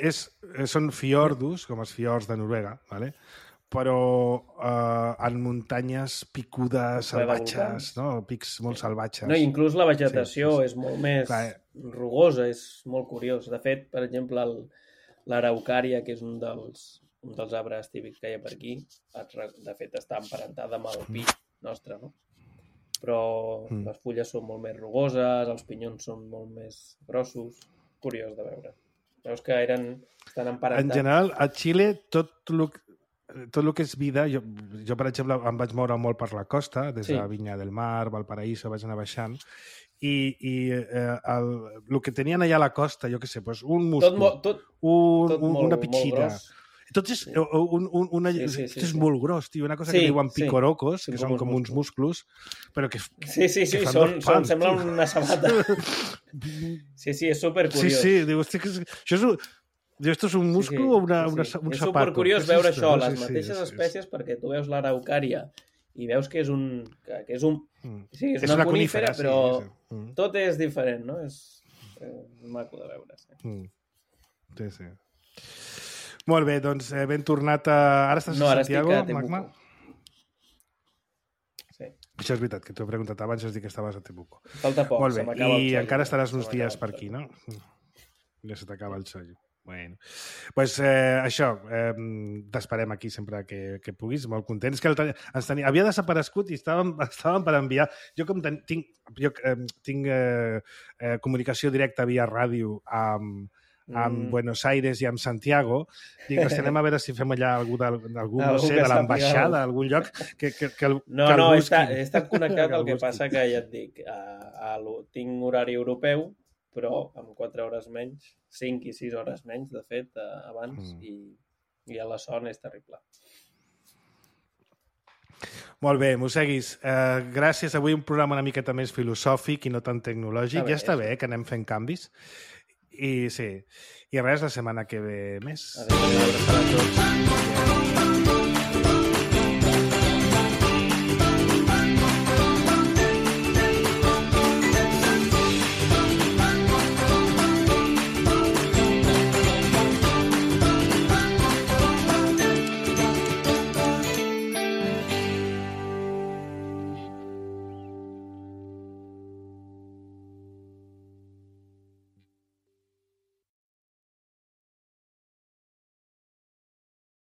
són fiordos, com els fiords de Noruega, ¿vale? Però en muntanyes picudes, salvatges, no? Pics molt salvatges. No, inclús la vegetació és molt més rugosa, és molt curiós. De fet, per exemple, l'araucària, que és un dels arbres típics que hi ha per aquí, de fet està emparentada amb el pi nostre, no? Però les fulles són molt més rugoses, els pinyons són molt més grossos. Curiós de veure. Veus que estan emparentats. En general, a Xile, tot el que és vida, jo per exemple em vaig moure molt per la costa, des de Vinya del Mar, Valparaíso, vaig anar baixant, i el que tenien allà a la costa, jo què sé, doncs un musclo, una pitxina, tot és molt gros, tio, una cosa que diuen picorocos, que són com uns musclos, però que sembla una sabata. Sí, és supercuriós. Sí, diu, hosti, això és... Esto és un musclo o un zapato? És supercuriós veure això, les mateixes espècies, perquè tu veus l'araucària i veus que és una conífera, però tot és diferent, no? És maco de veure. Sí. Molt bé, doncs ben tornat a... Ara estàs a Santiago, Magma? Sí. Això és veritat, que t'ho he preguntat abans, has dit que estaves a Temuco. Falta poc, Molt bé, se m'acaba el i xollo. encara estaràs uns Se m'acaba dies el per xollo. aquí, no? Ja se t'acaba el xollo. Bueno, pues això, t'esperem aquí sempre que puguis, molt contents. Que havia desaparegut i estàvem per enviar... Jo com tinc comunicació directa via ràdio amb Buenos Aires i amb Santiago, dic, anem a veure si fem allà algú no sé, de l'ambaixada, algun lloc que No, he estat connectat, el que passa que ja et dic, tinc horari europeu, però amb 4 hores menys, 5 i 6 hores menys, de fet, abans, i a la son és terrible. Molt bé, Museguis, gràcies. Avui un programa una miqueta més filosòfic i no tan tecnològic. Ja està bé que anem fent canvis. I sí, i res, la setmana que ve més. Adéu. Adéu a tots.